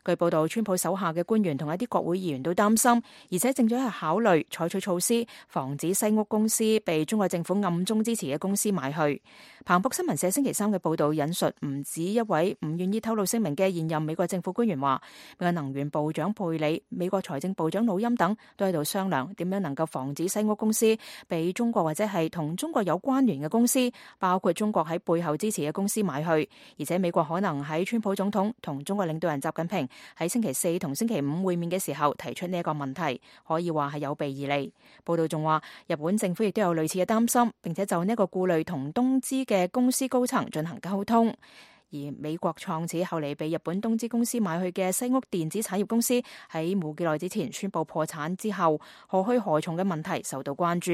據報道，川普手下嘅官員同一啲國會議員都擔心，而且正在考慮採取措施，防止西屋公司被中國政府暗中支持嘅公司買去。彭博新聞社星期三嘅報道引述唔止一位唔願意透露姓名嘅現任美國政府官員話，美國能源部長佩里、美國財政部長努欽等都喺度商量點樣能夠防止西屋公司被中國或者係同中國有關聯嘅公司，包括中國喺背後支持嘅公司買去。而且美國可能喺川普總統同中國領導人習近平喺星期四同星期五會面嘅時候提出呢一個問題，可以話係有備而嚟。報道仲話，日本政府亦都有類似嘅擔心，並且就呢個顧慮同東芝嘅公司高層進行溝通。而美國創始後嚟被日本東芝公司買去嘅西屋電子產業公司喺冇幾耐之前宣布破產之後，何去何從嘅問題受到關注。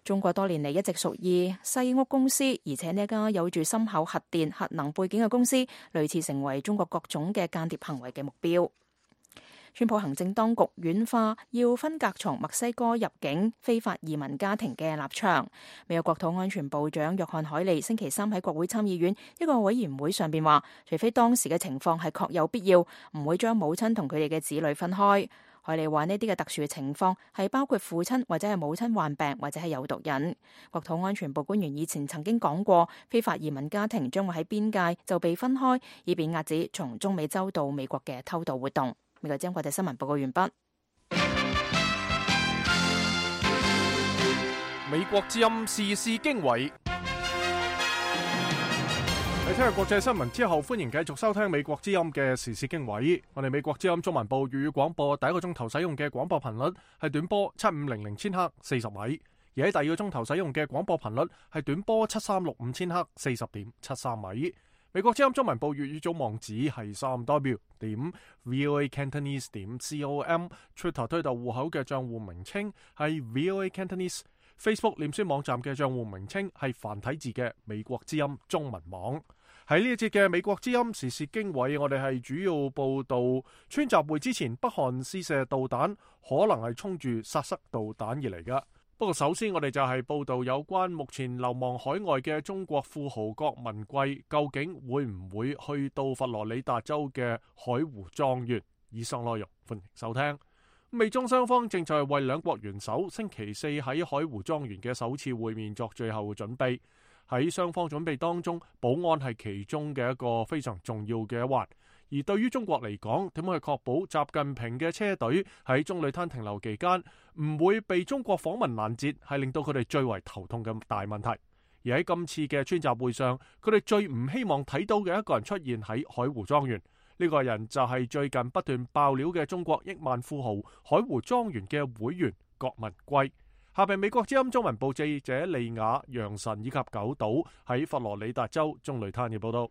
中國多年嚟一直屬意西屋公司，而且呢家有住深厚核電核能背景嘅公司，類似成為中國各種嘅間諜行為嘅目標。川普行政當局軟化要分隔從墨西哥入境非法移民家庭嘅立場。美國國土安全部長約翰海利星期三喺國會參議院一個委員會上邊話，除非當時嘅情況係確有必要，唔會將母親同佢哋嘅子女分開。海利話呢啲嘅特殊嘅情況係包括父親或者係母親患病或者係有毒癮。國土安全部官員以前曾經講過，非法移民家庭將會喺邊界就被分開，以便遏止從中美洲到美國嘅偷渡活動。美國之音國際新聞報告完畢。美國之音時事經緯。喺聽日國際新聞之後，歡迎繼續收聽美國之音嘅時事經緯。我哋美國之音中文部粵語廣播第一個鐘頭使用嘅廣播頻率係短波七五零零千赫四十米，而喺第二個鐘頭使用嘅廣播頻率係短波七三六五千赫四十點七三米。美國之音中文部粵語組網址係三 w 點 voa cantonese 點 com，Twitter 推特戶口嘅賬戶名稱係 voa cantonese，Facebook 臉書網站嘅賬戶名稱係繁體字嘅美國之音中文網。喺呢一節嘅美國之音時事經緯，我哋係主要報道川習會之前北韓試射導彈，可能係衝住殺塞導彈而嚟噶。不過首先我哋就係報道有關目前流亡海外嘅中國富豪郭文貴究竟會唔會去到佛羅里達州嘅海湖莊園。以上內容歡迎收聽。美中雙方正在為兩國元首星期四喺海湖莊園嘅首次會面作最後準備。喺雙方準備當中，保安係其中嘅一個非常重要嘅一環。而對於中國嚟講，點樣去確保習近平嘅車隊喺中旅灘停留期間唔會被中國訪問攔截，係令到佢哋最為頭痛嘅大問題。而喺今次嘅川習會上，佢哋最唔希望睇到嘅一個人出現喺海湖莊園。呢個人就係最近不斷爆料嘅中國億萬富豪海湖莊園嘅會員郭文貴。下邊美國之音中文部記者利雅、楊晨以及九島喺佛羅里達州中旅灘嘅報道。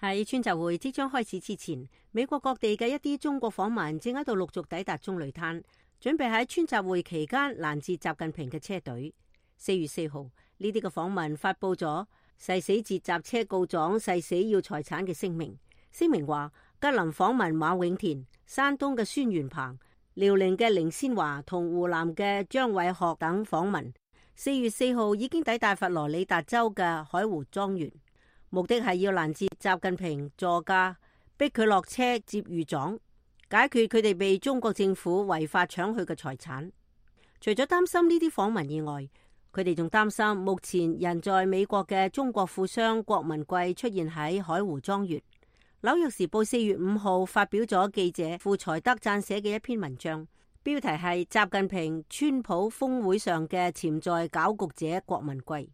喺川習會即將開始之前，美國各地嘅一啲中國訪民正喺度陸續抵達中旅灘，準備喺川習會期間攔截習近平嘅車隊。四月四號，呢啲嘅訪民發佈咗誓死截襲車告狀、誓死要財產嘅聲明。聲明話，吉林訪民馬永田、山東嘅孫元鵬、遼寧嘅凌先華同湖南嘅張偉學等訪民，四月四號已經抵達佛羅里達州嘅海湖莊園，目的係要攔截習近平座駕，逼佢落車接御狀，解決佢哋被中國政府違法搶去嘅財產。除咗擔心呢啲訪民以外，佢哋仲擔心目前人在美國嘅中國富商郭文貴出現喺海湖莊園。紐約時報四月五號發表咗記者傅財德撰寫嘅一篇文章，標題係習近平川普峰會上嘅潛在攪局者郭文貴。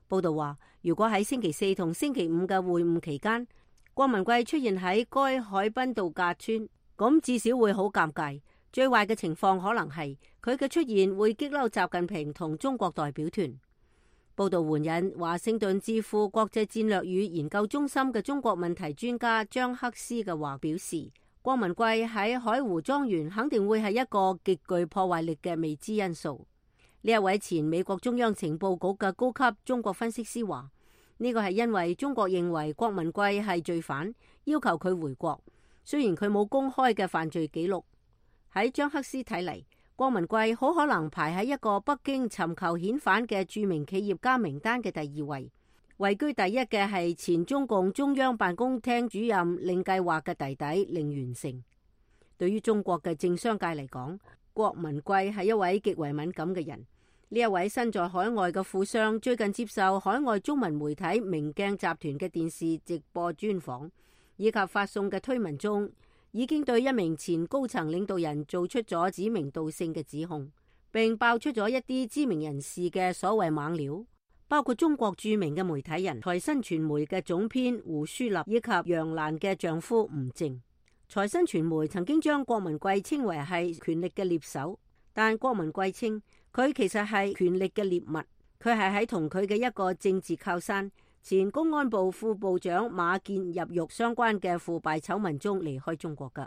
報道話，如果喺星期四同星期五嘅會晤期間，郭文貴出現喺該海濱度假村，咁至少會好尷尬。最壞嘅情況可能係佢嘅出現會激嬲習近平同中國代表團。報道援引華盛頓智庫國際戰略與研究中心嘅中國問題專家張克斯嘅話表示，郭文貴喺海湖莊園肯定會係一個極具破壞力嘅未知因素。呢一位前美國中央情報局嘅高級中國分析師話，呢個係因為中國認為郭文貴係罪犯，要求佢回國，雖然佢冇公開嘅犯罪記錄。喺張克斯睇嚟，郭文貴好可能排喺一個北京尋求遣返嘅著名企業家名單嘅第二位。位居第一嘅係前中共中央辦公廳主任令計劃嘅弟弟令元成。對於中國嘅政商界嚟講，郭文貴係一位極為敏感嘅人。呢一位身在海外嘅富商最近接受海外中文媒體明鏡集團嘅電視直播專訪以及發送嘅推文中，已經對一名前高層領導人做出咗指名道姓嘅指控，並爆出咗一啲知名人士嘅所謂猛料，包括中國著名嘅媒體人財新傳媒嘅總編胡舒立以及楊瀾嘅丈夫吳靜。財新傳媒曾經將郭文貴稱為係權力嘅獵手，但郭文貴稱佢其實係權力嘅獵物，佢係喺同佢嘅一個政治靠山前公安部副部長馬建入獄相關嘅腐敗醜聞中離開中國㗎。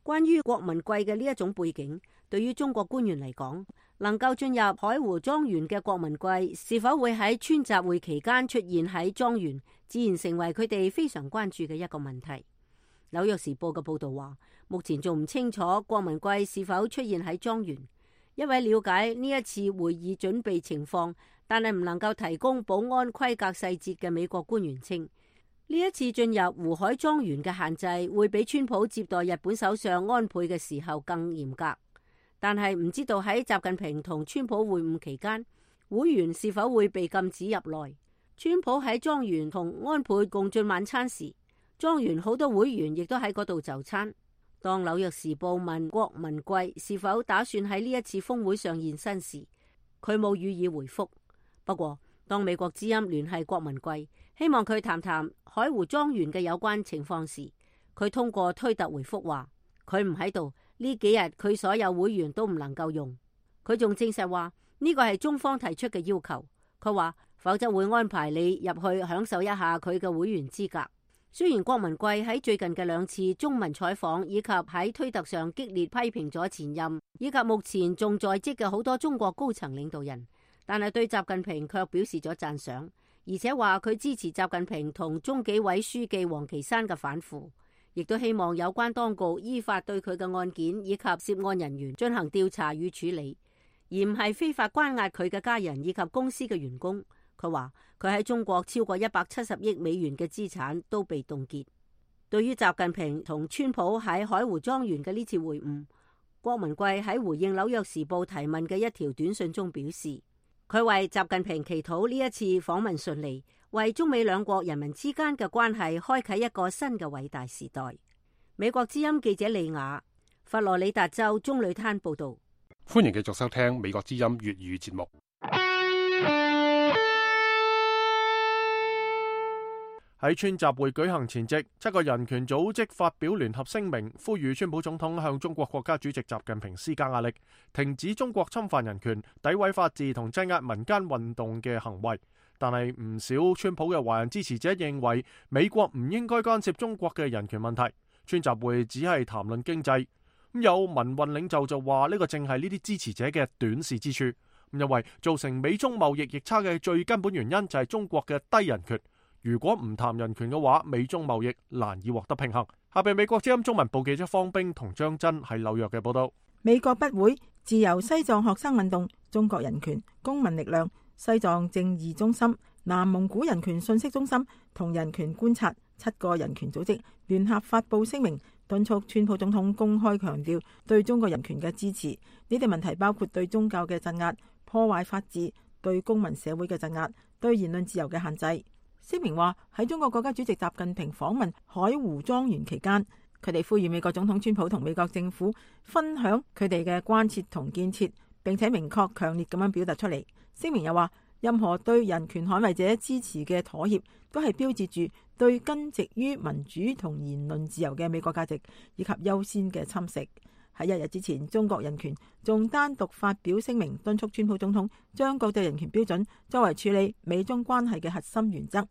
關於郭文貴嘅呢一種背景，對於中國官員嚟講，能夠進入海湖莊園嘅郭文貴是否會喺川習會期間出現喺莊園，自然成為佢哋非常關注嘅一個問題。紐約時報嘅報道話，目前仲唔清楚郭文貴是否出現喺莊園。一位了解呢一次會議準備情況，但係唔能夠提供保安規格細節嘅美國官員稱，呢一次進入湖海莊園嘅限制會比川普接待日本首相安倍嘅時候更嚴格，但係唔知道喺習近平同川普會晤期間，會員是否會被禁止入內。川普喺莊園同安倍共進晚餐時，莊園好多會員亦都喺嗰度就餐。當紐約時報問郭文貴是否打算喺呢一次峰會上現身時，佢冇予以回覆。不過，當美國之音聯繫郭文貴，希望佢談談海湖莊園嘅有關情況時，佢通過推特回覆話，佢唔喺度，呢幾日佢所有會員都唔能夠用。佢仲證實話呢個係中方提出嘅要求，佢話否則會安排你入去享受一下佢嘅會員資格。雖然郭文貴喺最近嘅兩次中文採訪以及喺推特上激烈批評咗前任以及目前仲在職嘅好多中國高層領導人，但係對習近平卻表示咗讚賞，而且話佢支持習近平同中紀委書記王岐山嘅反腐，亦都希望有關當局依法對佢嘅案件以及涉案人員進行調查與處理，而唔係非法關押佢嘅家人以及公司嘅員工。佢話佢喺中國超過一百七十億美元嘅資產都被凍結。對於習近平同川普喺海湖莊園嘅呢次會晤，郭文貴喺回應紐約時報提問嘅一條短信中表示，佢為習近平祈禱呢一次訪問順利，為中美兩國人民之間嘅關係開啟一個新嘅偉大時代。美國之音記者利亞，佛羅里達州棕櫚灘報道。歡迎繼續收聽美國之音粵語節目。喺川習會舉行前夕，七個人權組織發表聯合聲明，呼籲川普總統向中國國家主席習近平施加壓力，停止中國侵犯人權、詆毀法治同鎮壓民間運動嘅行為。但係唔少川普嘅華人支持者認為，美國唔應該干涉中國嘅人權問題。川習會只係談論經濟。咁有民運領袖就話呢個正係呢啲支持者嘅短視之處，因為造成美中貿易逆差嘅最根本原因就係中國嘅低人權。如果唔談人權嘅話，美中貿易難以獲得平衡。下邊美國之音中文部記者方冰同張真喺紐約嘅報道。美國不會自由西藏學生運動、中國人權、公民力量、西藏正義中心、南蒙古人權信息中心同人權觀察七個人權組織聯合發布聲明，敦促川普總統公開強調對中國人權嘅支持。呢啲問題包括對宗教嘅鎮壓、破壞法治、對公民社會嘅鎮壓、對言論自由嘅限制。聲明話喺中國國家主席習近平訪問海湖莊園期間，佢哋呼籲美國總統川普同美國政府分享佢哋嘅關切同建設，並且明確強烈咁樣表達出嚟。聲明又話，任何對人權捍衛者支持嘅妥協，都係標誌住對根植於民主同言論自由嘅美國價值以及優先嘅侵蝕。喺一日之前，中國人權仲單獨發表聲明，敦促川普總統將國際人權標準作為處理美中關係嘅核心原則，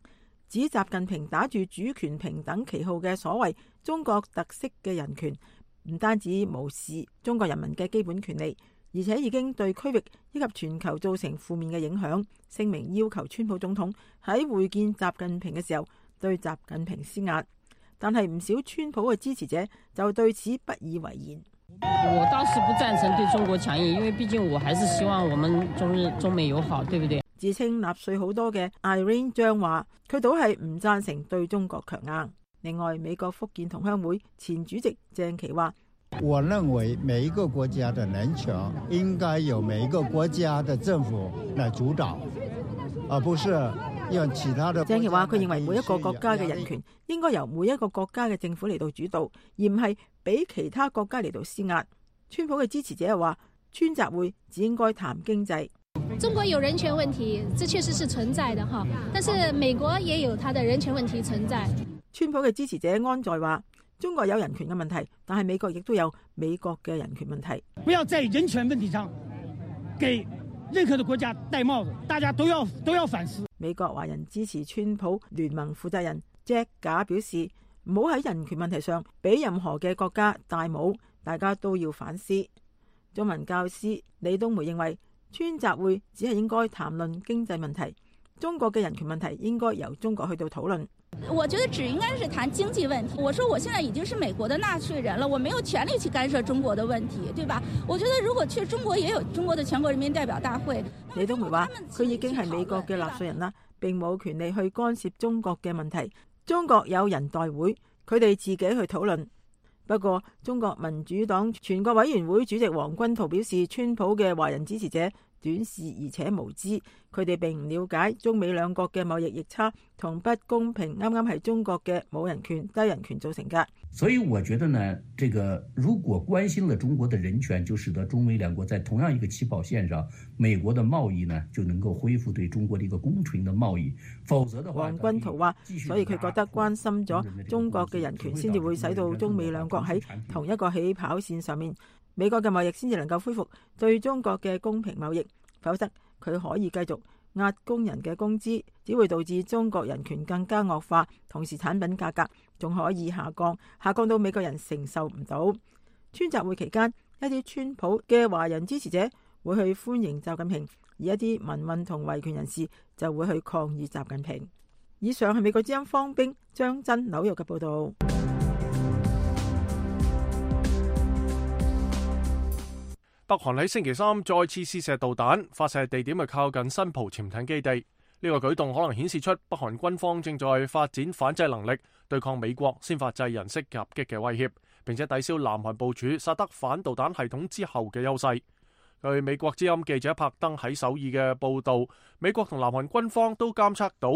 指習近平打住主權平等旗號嘅所謂中國特色嘅人權，唔單止無視中國人民嘅基本權利，而且已經對區域以及全球造成負面嘅影響。聲明要求川普總統喺會見習近平嘅時候對習近平施壓，但係唔少川普嘅支持者就對此不以為然。我倒是不贊成對中國強硬，因為畢竟我還是希望我們中日中美友好，對不對？自稱納粹好多嘅 Irene 張話，佢倒係唔贊成對中國強硬。另外，美國福建同鄉會前主席鄭其話：我認為每一個國家的人權應該由每一個國家的政府來主導，而不是讓其他的。鄭其話：佢認為每一個國家嘅人權應該由每一個國家嘅政府嚟到主導，而唔係俾其他國家嚟到施壓。川普嘅支持者又話：川習會只應該談經濟。中國有人權問題，這確實是存在的哈，但是美國也有它的人權問題存在。川普嘅支持者安在話：中國有人權嘅問題，但係美國亦都有美國嘅人權問題。不要在人權問題上給任何的國家戴帽子，大家都要都要反思。美國華人支持川普聯盟負責人 Jack 賈表示：唔好喺人權問題上俾任何嘅國家戴帽，大家都要反思。中文教師李東梅認為，川習會只係應該談論經濟問題，中國嘅人權問題應該由中國去到討論。我覺得只應該是談經濟問題。我說我現在已經是美國的納稅人了，我沒有權利去干涉中國的問題，對吧？我覺得如果去中國也有中國的全國人民代表大會。李東梅話：佢已經係美國嘅納稅人啦，並冇權利去干涉中國嘅問題。中國有人代會，佢哋自己去討論。不過，中國民主黨全國委員會主席黃軍濤表示，川普嘅華人支持者短視而且無知，佢哋並唔了解中美兩國嘅貿易逆差同不公平，啱啱係中國嘅冇人權、低人權造成嘅。所以我覺得呢，這個如果關心了中國的人權，就使得中美兩國在同樣一個起跑線上，美國的貿易呢就能夠恢復對中國的一個公平的貿易。否則的話，黃軍濤話，所以佢覺得關心咗中國嘅人權，先至會使到中美兩國喺同一個起跑線上面。美國嘅貿易先至能夠恢復對中國嘅公平貿易，否則佢可以繼續壓工人嘅工資，只會導致中國人權更加惡化，同時產品價格仲可以下降，下降到美國人承受唔到。川習會期間，一啲川普嘅華人支持者會去歡迎習近平，而一啲民運同維權人士就會去抗議習近平。以上係美國之音方冰張真紐約嘅報導。北韓喺星期三再次試射導彈，發射地點係靠近新浦潛艇基地。呢個舉動可能顯示出北韓軍方正在發展反制能力，對抗美國先發制人式襲擊嘅威脅，並且抵消南韓部署薩德反導彈系統之後嘅優勢。據美國之音記者柏登喺首爾嘅報導，美國同南韓軍方都監測到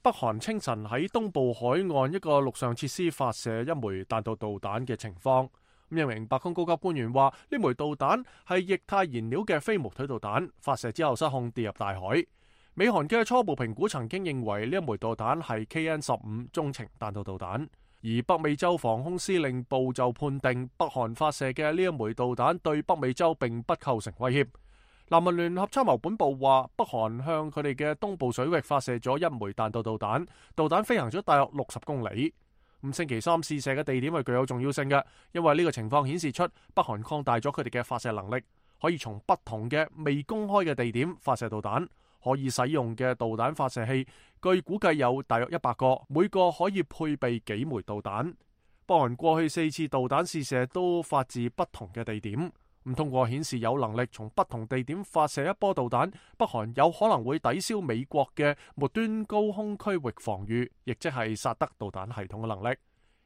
北韓清晨喺東部海岸一個陸上設施發射一枚彈道導彈嘅情況。咁一名白宮高級官員話：呢枚導彈係液態燃料嘅飛毛腿導彈，發射之後失控跌入大海。美韓嘅初步評估曾經認為呢一枚導彈係 K N 十五中程彈道導彈，而北美洲防空司令部就判定北韓發射嘅呢一枚導彈對北美洲並不構成威脅。南韓聯合參謀本部話，北韓向佢哋嘅東部水域發射咗一枚彈道導彈，導彈飛行咗大約六十公里。咁星期三試射嘅地點係具有重要性嘅，因為呢個情況顯示出北韓擴大咗佢哋嘅發射能力，可以從不同嘅未公開嘅地點發射導彈。可以使用嘅導彈發射器，據估計有大約一百個，每個可以配備幾枚導彈。北韓過去四次導彈試射都發自不同嘅地點，咁通過顯示有能力從不同地點發射一波導彈，北韓有可能會抵消美國嘅末端高空區域防禦，亦即係薩德導彈系統嘅能力。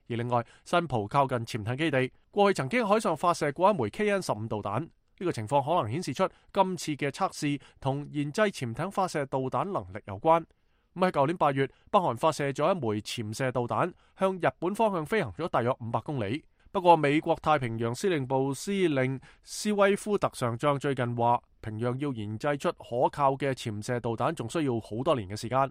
而另外，新浦靠近潛艇基地，過去曾經海上發射過一枚 K N 十五導彈。呢個情況可能顯示出今次嘅測試同研製潛艇發射導彈能力有關。咁喺舊年八月，北韓發射咗一枚潛射導彈，向日本方向飛行咗大約五百公里。不過，美國太平洋司令部司令斯威夫特上將最近話，平壤要研製出可靠嘅潛射導彈，仲需要好多年嘅時間。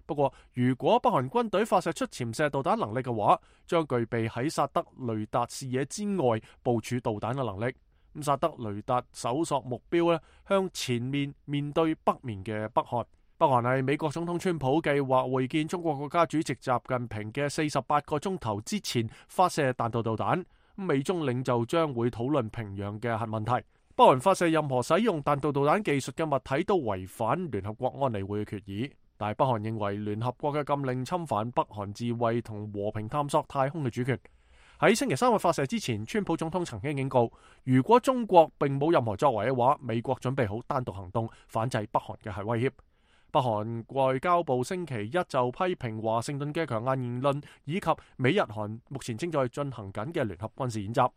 不過，如果北韓軍隊發射出潛射導彈能力嘅話，將具備喺薩德雷達視野之外部署導彈嘅能力。咁薩德雷達搜索目標咧，向前面面對北面嘅北韓。北韓係美國總統川普計劃會見中國國家主席習近平嘅四十八個鐘頭之前發射彈道導彈。美中領袖將會討論平壤嘅核問題。北韓發射任何使用彈道導彈技術嘅物體都違反聯合國安理會嘅決議。但係北韓認為聯合國嘅禁令侵犯北韓自衛同和平探索太空嘅主權。喺星期三嘅發射之前，川普總統曾經警告，如果中國並冇任何作為嘅話，美國準備好單獨行動反制北韓嘅核威脅。北韓外交部星期一就批評華盛頓嘅強硬言論，以及美日韓目前正在進行緊嘅聯合軍事演習。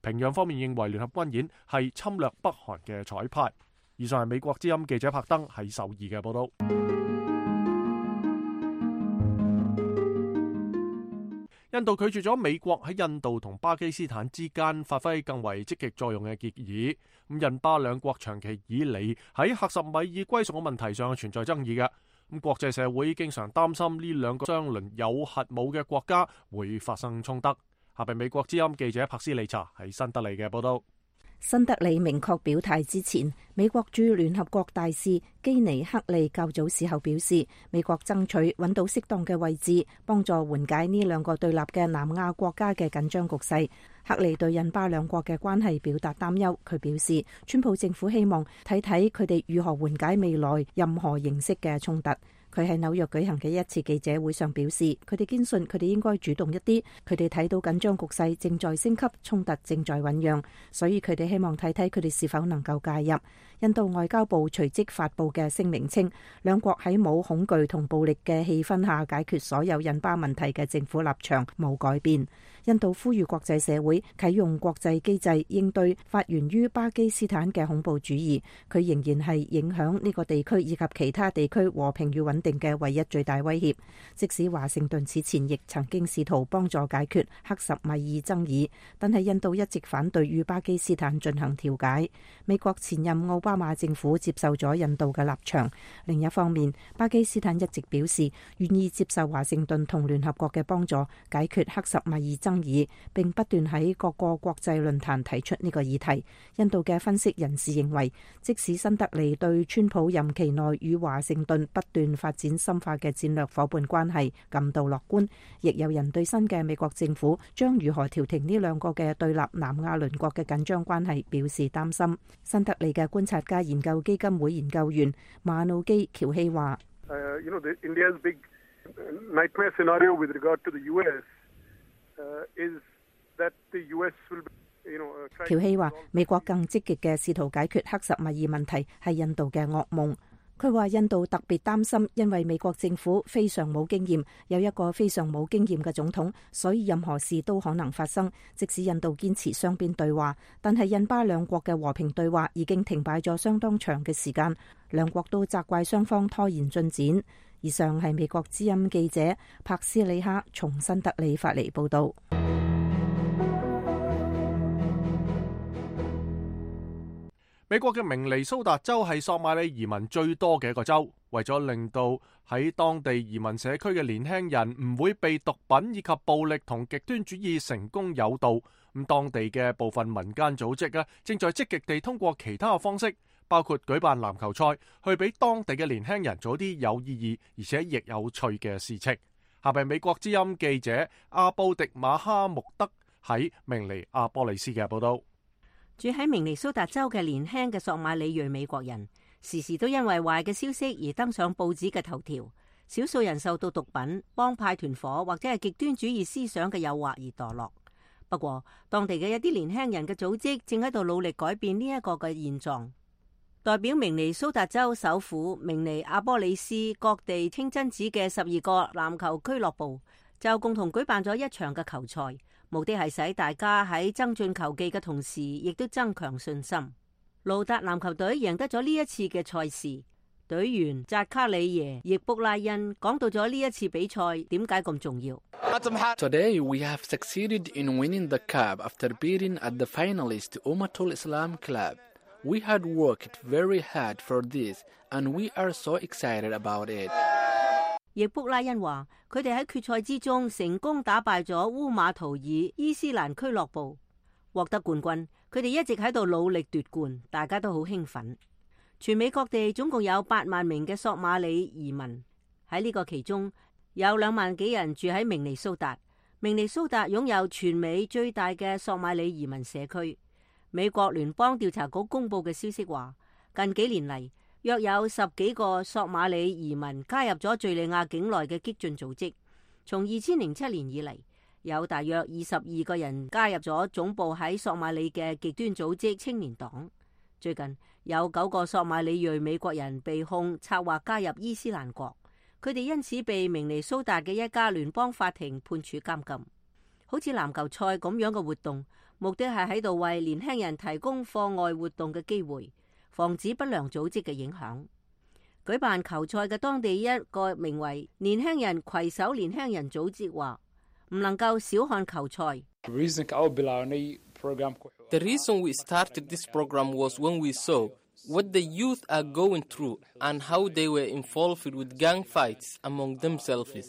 平壤方面認為聯合軍演係侵略北韓嘅彩排。以上係美國之音記者柏登喺首爾嘅報道。印度拒絕咗美國喺印度同巴基斯坦之間發揮更為積極作用嘅建議。咁印巴兩國長期以嚟喺克什米爾歸屬嘅問題上存在爭議嘅。咁國際社會經常擔心呢兩個相鄰有核武嘅國家會發生衝突。下邊美國之音記者柏斯利查喺新德里嘅報道。新德里明確表態之前，美國駐聯合國大使基尼克利較早時候表示，美國爭取揾到適當嘅位置，幫助緩解呢兩個對立嘅南亞國家嘅緊張局勢。克利對印巴兩國嘅關係表達擔憂，佢表示，川普政府希望睇睇佢哋如何緩解未來任何形式嘅衝突。佢喺紐約舉行嘅一次記者會上表示，佢哋堅信佢哋應該主動一啲，佢哋睇到緊張局勢正在升級，衝突正在醞釀，所以佢哋希望睇睇佢哋是否能夠介入。印度外交部隨即發布嘅聲明稱，兩國喺冇恐懼同暴力嘅氣氛下解決所有印巴問題嘅政府立場冇改變。印度呼籲國際社會啟用國際機制應對發源於巴基斯坦嘅恐怖主義，佢仍然係影響呢個地區以及其他地區和平與穩定嘅唯一最大威脅。即使華盛頓此前亦曾經試圖幫助解決克什米爾爭議，但係印度一直反對與巴基斯坦進行調解。美國前任奧巴馬政府接受咗印度嘅立場。另一方面，巴基斯坦一直表示願意接受華盛頓同聯合國嘅幫助解決克什米爾爭議，並不斷喺各個國際論壇提出呢個議題。印度嘅分析人士認為，即使新德里對川普任期內與華盛頓不斷發展深化嘅戰略夥伴關係感到樂觀，亦有人對新嘅美國政府將如何調停呢兩個嘅對立南亞鄰國嘅緊張關係表示擔心。新德里嘅觀察家研究基金會研究員馬努基喬希話Uh, you know, the, India's big nightmare scenario with regard to the U S uh, is that the U S will, you know, uh, try. 喬希話，美國更積極嘅試圖解決克什米爾問題係印度嘅噩夢。佢話印度特別擔心，因為美國政府非常冇經驗，有一個非常冇經驗嘅總統，所以任何事都可能發生。即使印度堅持雙邊對話，但係印巴兩國嘅和平對話已經停擺咗相當長嘅時間，兩國都責怪雙方拖延進展。以上係美國之音記者柏斯里克從新德里發嚟報道。美國嘅明尼蘇達州係索馬里移民最多嘅一個州，為咗令到喺當地移民社區嘅年輕人唔會被毒品以及暴力同極端主義成功誘導，咁當地嘅部分民間組織啊，正在積極地通過其他嘅方式，包括舉辦籃球賽，去俾當地嘅年輕人做啲有意義而且亦有趣嘅事情。下邊美國之音記者阿布迪馬哈穆德喺明尼阿波利斯嘅報道。住喺明尼蘇達州嘅年輕嘅索馬里裔美國人，時時都因為壞嘅消息而登上報紙嘅頭條。少數人受到毒品、幫派團伙或者係極端主義思想嘅誘惑而墮落。不過，當地嘅一啲年輕人嘅組織正喺度努力改變呢一個嘅現狀。代表明尼蘇達州首府明尼阿波利斯各地清真寺嘅十二個籃球俱樂部就共同舉辦咗一場嘅球賽。目的係使大家喺增進球技嘅同時，亦都增強信心。盧達籃球隊贏得咗呢一次嘅賽事。隊員扎卡里耶易卜拉恩講到咗呢一次比賽點解咁重要。Today we have succeeded in winning the cup after beating at the finalist Ummatul Islam Club. We had worked very hard for this, and we are so excited about it. 易卜拉恩話：佢哋喺決賽之中成功打敗咗烏馬圖爾伊斯蘭俱樂部，獲得冠軍。佢哋一直喺度努力奪冠，大家都好興奮。全美各地總共有八萬名嘅索馬里移民，喺呢個其中有兩萬幾人住喺明尼蘇達。明尼蘇達擁有全美最大嘅索馬里移民社區。美國聯邦調查局公布嘅消息話，近幾年嚟，約有十幾個索馬里移民加入咗敘利亞境內嘅激進組織。從二千零七年以嚟，有大約二十二個人加入咗總部喺索馬里嘅極端組織青年黨。最近有九個索馬里裔美國人被控策劃加入伊斯蘭國，佢哋因此被明尼蘇達嘅一家聯邦法庭判處監禁。好似籃球賽咁樣嘅活動，目的係喺度為年輕人提供課外活動嘅機會，防止不良組織嘅影響。舉辦球賽嘅當地一個名為年輕人攜手年輕人組織話，唔能夠小看球賽。The reason we started this program was when we saw what the youth are going through and how they were involved with gang fights among themselves. 呢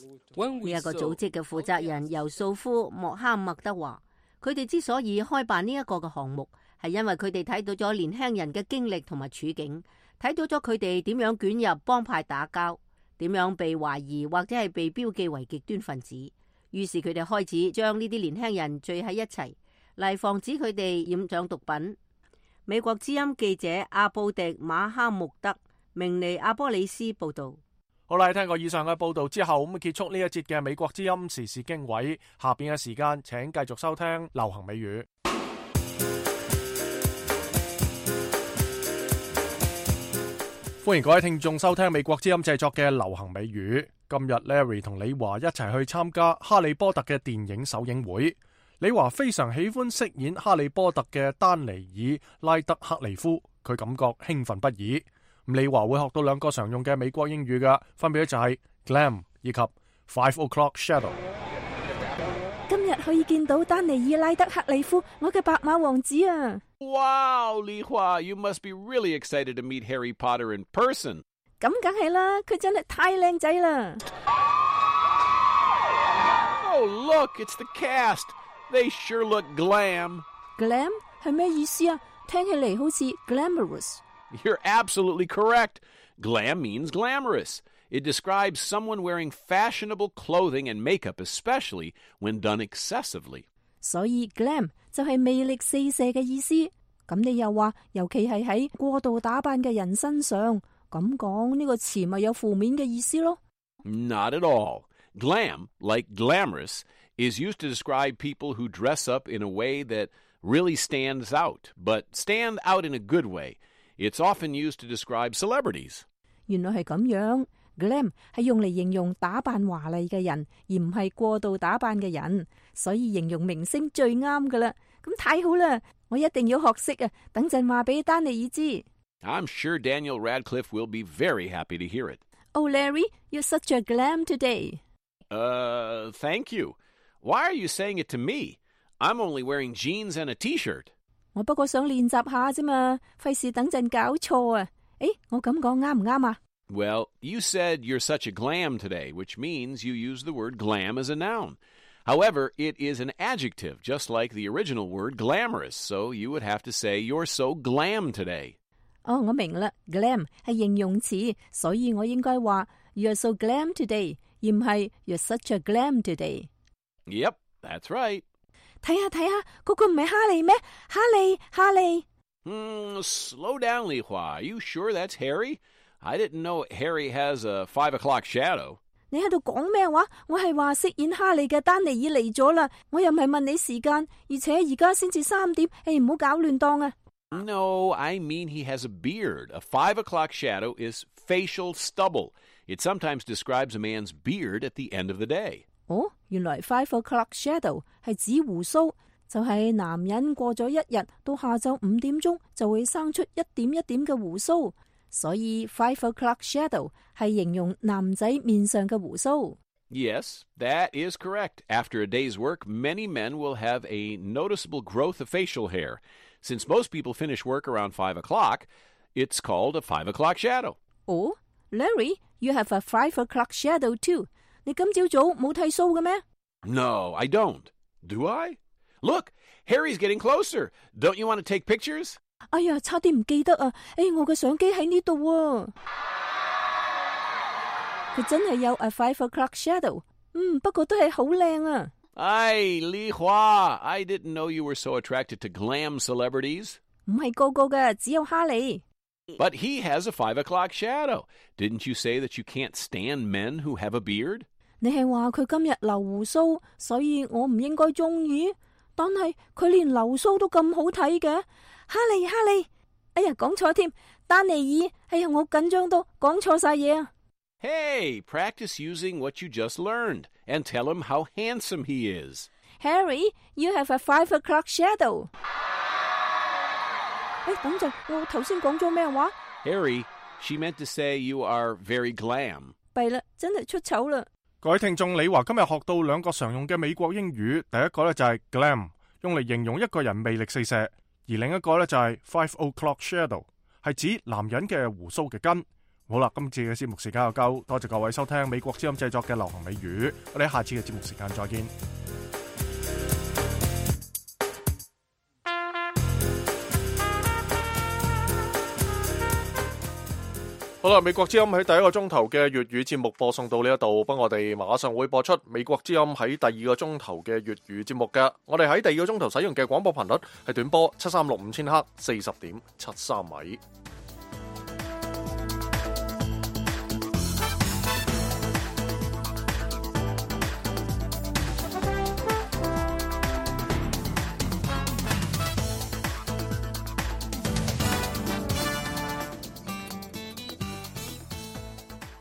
一個組織嘅負責人由素夫莫哈默德話，佢哋之所以開辦呢一個嘅項目，係因為佢哋睇到咗年輕人嘅經歷同埋處境，睇到咗佢哋點樣捲入幫派打交，點樣被懷疑或者係被標記為極端分子。於是佢哋開始將呢啲年輕人聚喺一齊，嚟防止佢哋染上毒品。美國之音記者阿布迪馬哈穆德明尼阿波里斯報道。好啦，聽過以上嘅報道之後，咁結束呢一節嘅美國之音時事經緯。下邊嘅時間，請繼續收聽流行美語。歡迎各位聽眾收聽美國之音製作嘅流行美語。今日 Larry 同李華一齊去參加哈利波特嘅電影首映會。李華非常喜歡飾演哈利波特嘅丹尼爾拉德克利夫，佢感覺興奮不已。李華會學到兩個常用嘅美國英語嘅，分別就係 glam 以及 five o'clock shadow。今日可以見到丹尼爾拉德克利夫，我嘅白馬王子啊！ Wow, Li Hua, you must be really excited to meet Harry Potter in person. 咁梗係啦，佢真係太靚仔啦 ！Oh, look, it's the cast. They sure look glam. Glam 係咩意思啊？聽起嚟好似 glamorous。You're absolutely correct. Glam means glamorous. It describes someone wearing fashionable clothing and makeup, especially when done excessively. 所以 glam 就係魅力四射嘅意思。咁你又話，尤其係喺過度打扮嘅人身上，咁講呢個詞咪有負面嘅意思咯 ？Not at all. Glam, like glamorous, is used to describe people who dress up in a way that really stands out, but stand out in a good way. It's often used to describe celebrities. 原來係咁樣 ，glam 係用嚟形容打扮華麗嘅人，而唔係過度打扮嘅人，所以形容明星最啱噶啦。咁太好啦，我一定要學識啊！等陣話俾丹尼爾知。I'm sure Daniel Radcliffe will be very happy to hear it. Oh, Larry, you're such a glam today. Uh, thank you. Why are you saying it to me? I'm only wearing jeans and a T-shirt. 我不過想練習下啫嘛，費事等陣搞錯啊！誒，我咁講啱唔啱啊？ Well, you said you're such a glam today, which means you use the word glam as a noun. However, it is an adjective, just like the original word glamorous, so you would have to say you're so glam today. 哦，我明啦 ，glam 係形容詞，所以我應該話 You're so glam today， 而唔係 You're such a glam today。Yep, that's right. 睇下睇下，嗰個唔係哈利咩？哈利，哈利。Hmm, slow down, Li Hua. Are you sure that's Harry? I didn't know Harry has a five o'clock shadow. 你喺度講咩話？我係話飾演哈利嘅丹尼爾嚟咗啦，我又唔係問你時間，而且而家先至三點，誒唔好搞亂檔啊！ No, I mean he has a beard. A five o'clock shadow is facial stubble. It sometimes describes a man's beard at the end of the day. 哦，原來 five o'clock shadow 係指鬍鬚，就係男人過咗一日到下晝五點鐘就會生出一點一點嘅鬍鬚，所以 five o'clock shadow 係形容男仔面上嘅鬍鬚。Yes, that is correct. After a day's work, many men will have a noticeable growth of facial hair. Since most people finish work around five o'clock, it's called a five o'clock shadow. Oh, Larry, you have a five o'clock shadow too. 你今朝早冇剃鬚嘅咩？ No, I don't. Do I? Look, Harry's getting closer. Don't you want to take pictures? 哎呀，差啲唔記得啊！誒，我嘅相機喺呢度啊！佢真係有 a five o'clock shadow。嗯，不過都係好靚啊！ Ay, Li Hua, I didn't know you were so attracted to glam celebrities. 唔係個個嘅，只有哈利。But he has a five o'clock shadow. Didn't you say that you can't stand men who have a beard? 你係話佢今日留鬍鬚，所以我唔應該中意。但係佢連留鬚都咁好睇嘅，哈利哈利，哎呀，講錯添，丹尼爾，哎呀，我緊張到講錯晒嘢啊！ Hey, practice using what you just learned and tell him how handsome he is. Harry, you have a five o'clock shadow. 哎，等陣，我頭先講咗咩話 Harry, she meant to say you are very glam. 弊啦，真係出醜啦！各位聽眾，李華今日學到兩個常用嘅美國英語，第一個咧就係 glam， 用嚟形容一個人魅力四射，而另一個咧就係 five o'clock shadow， 係指男人嘅鬍鬚嘅根。好啦，今次嘅節目時間又夠，多謝各位收聽美國之音製作嘅流行美語，我哋下次嘅節目時間再見。好啦，美國之音喺第一個鐘頭嘅粵語節目播送到呢一度，不過我哋馬上會播出美國之音喺第二個鐘頭嘅粵語節目嘅。我哋喺第二個鐘頭使用嘅廣播頻率係短波七三六五千赫，四十點七三米。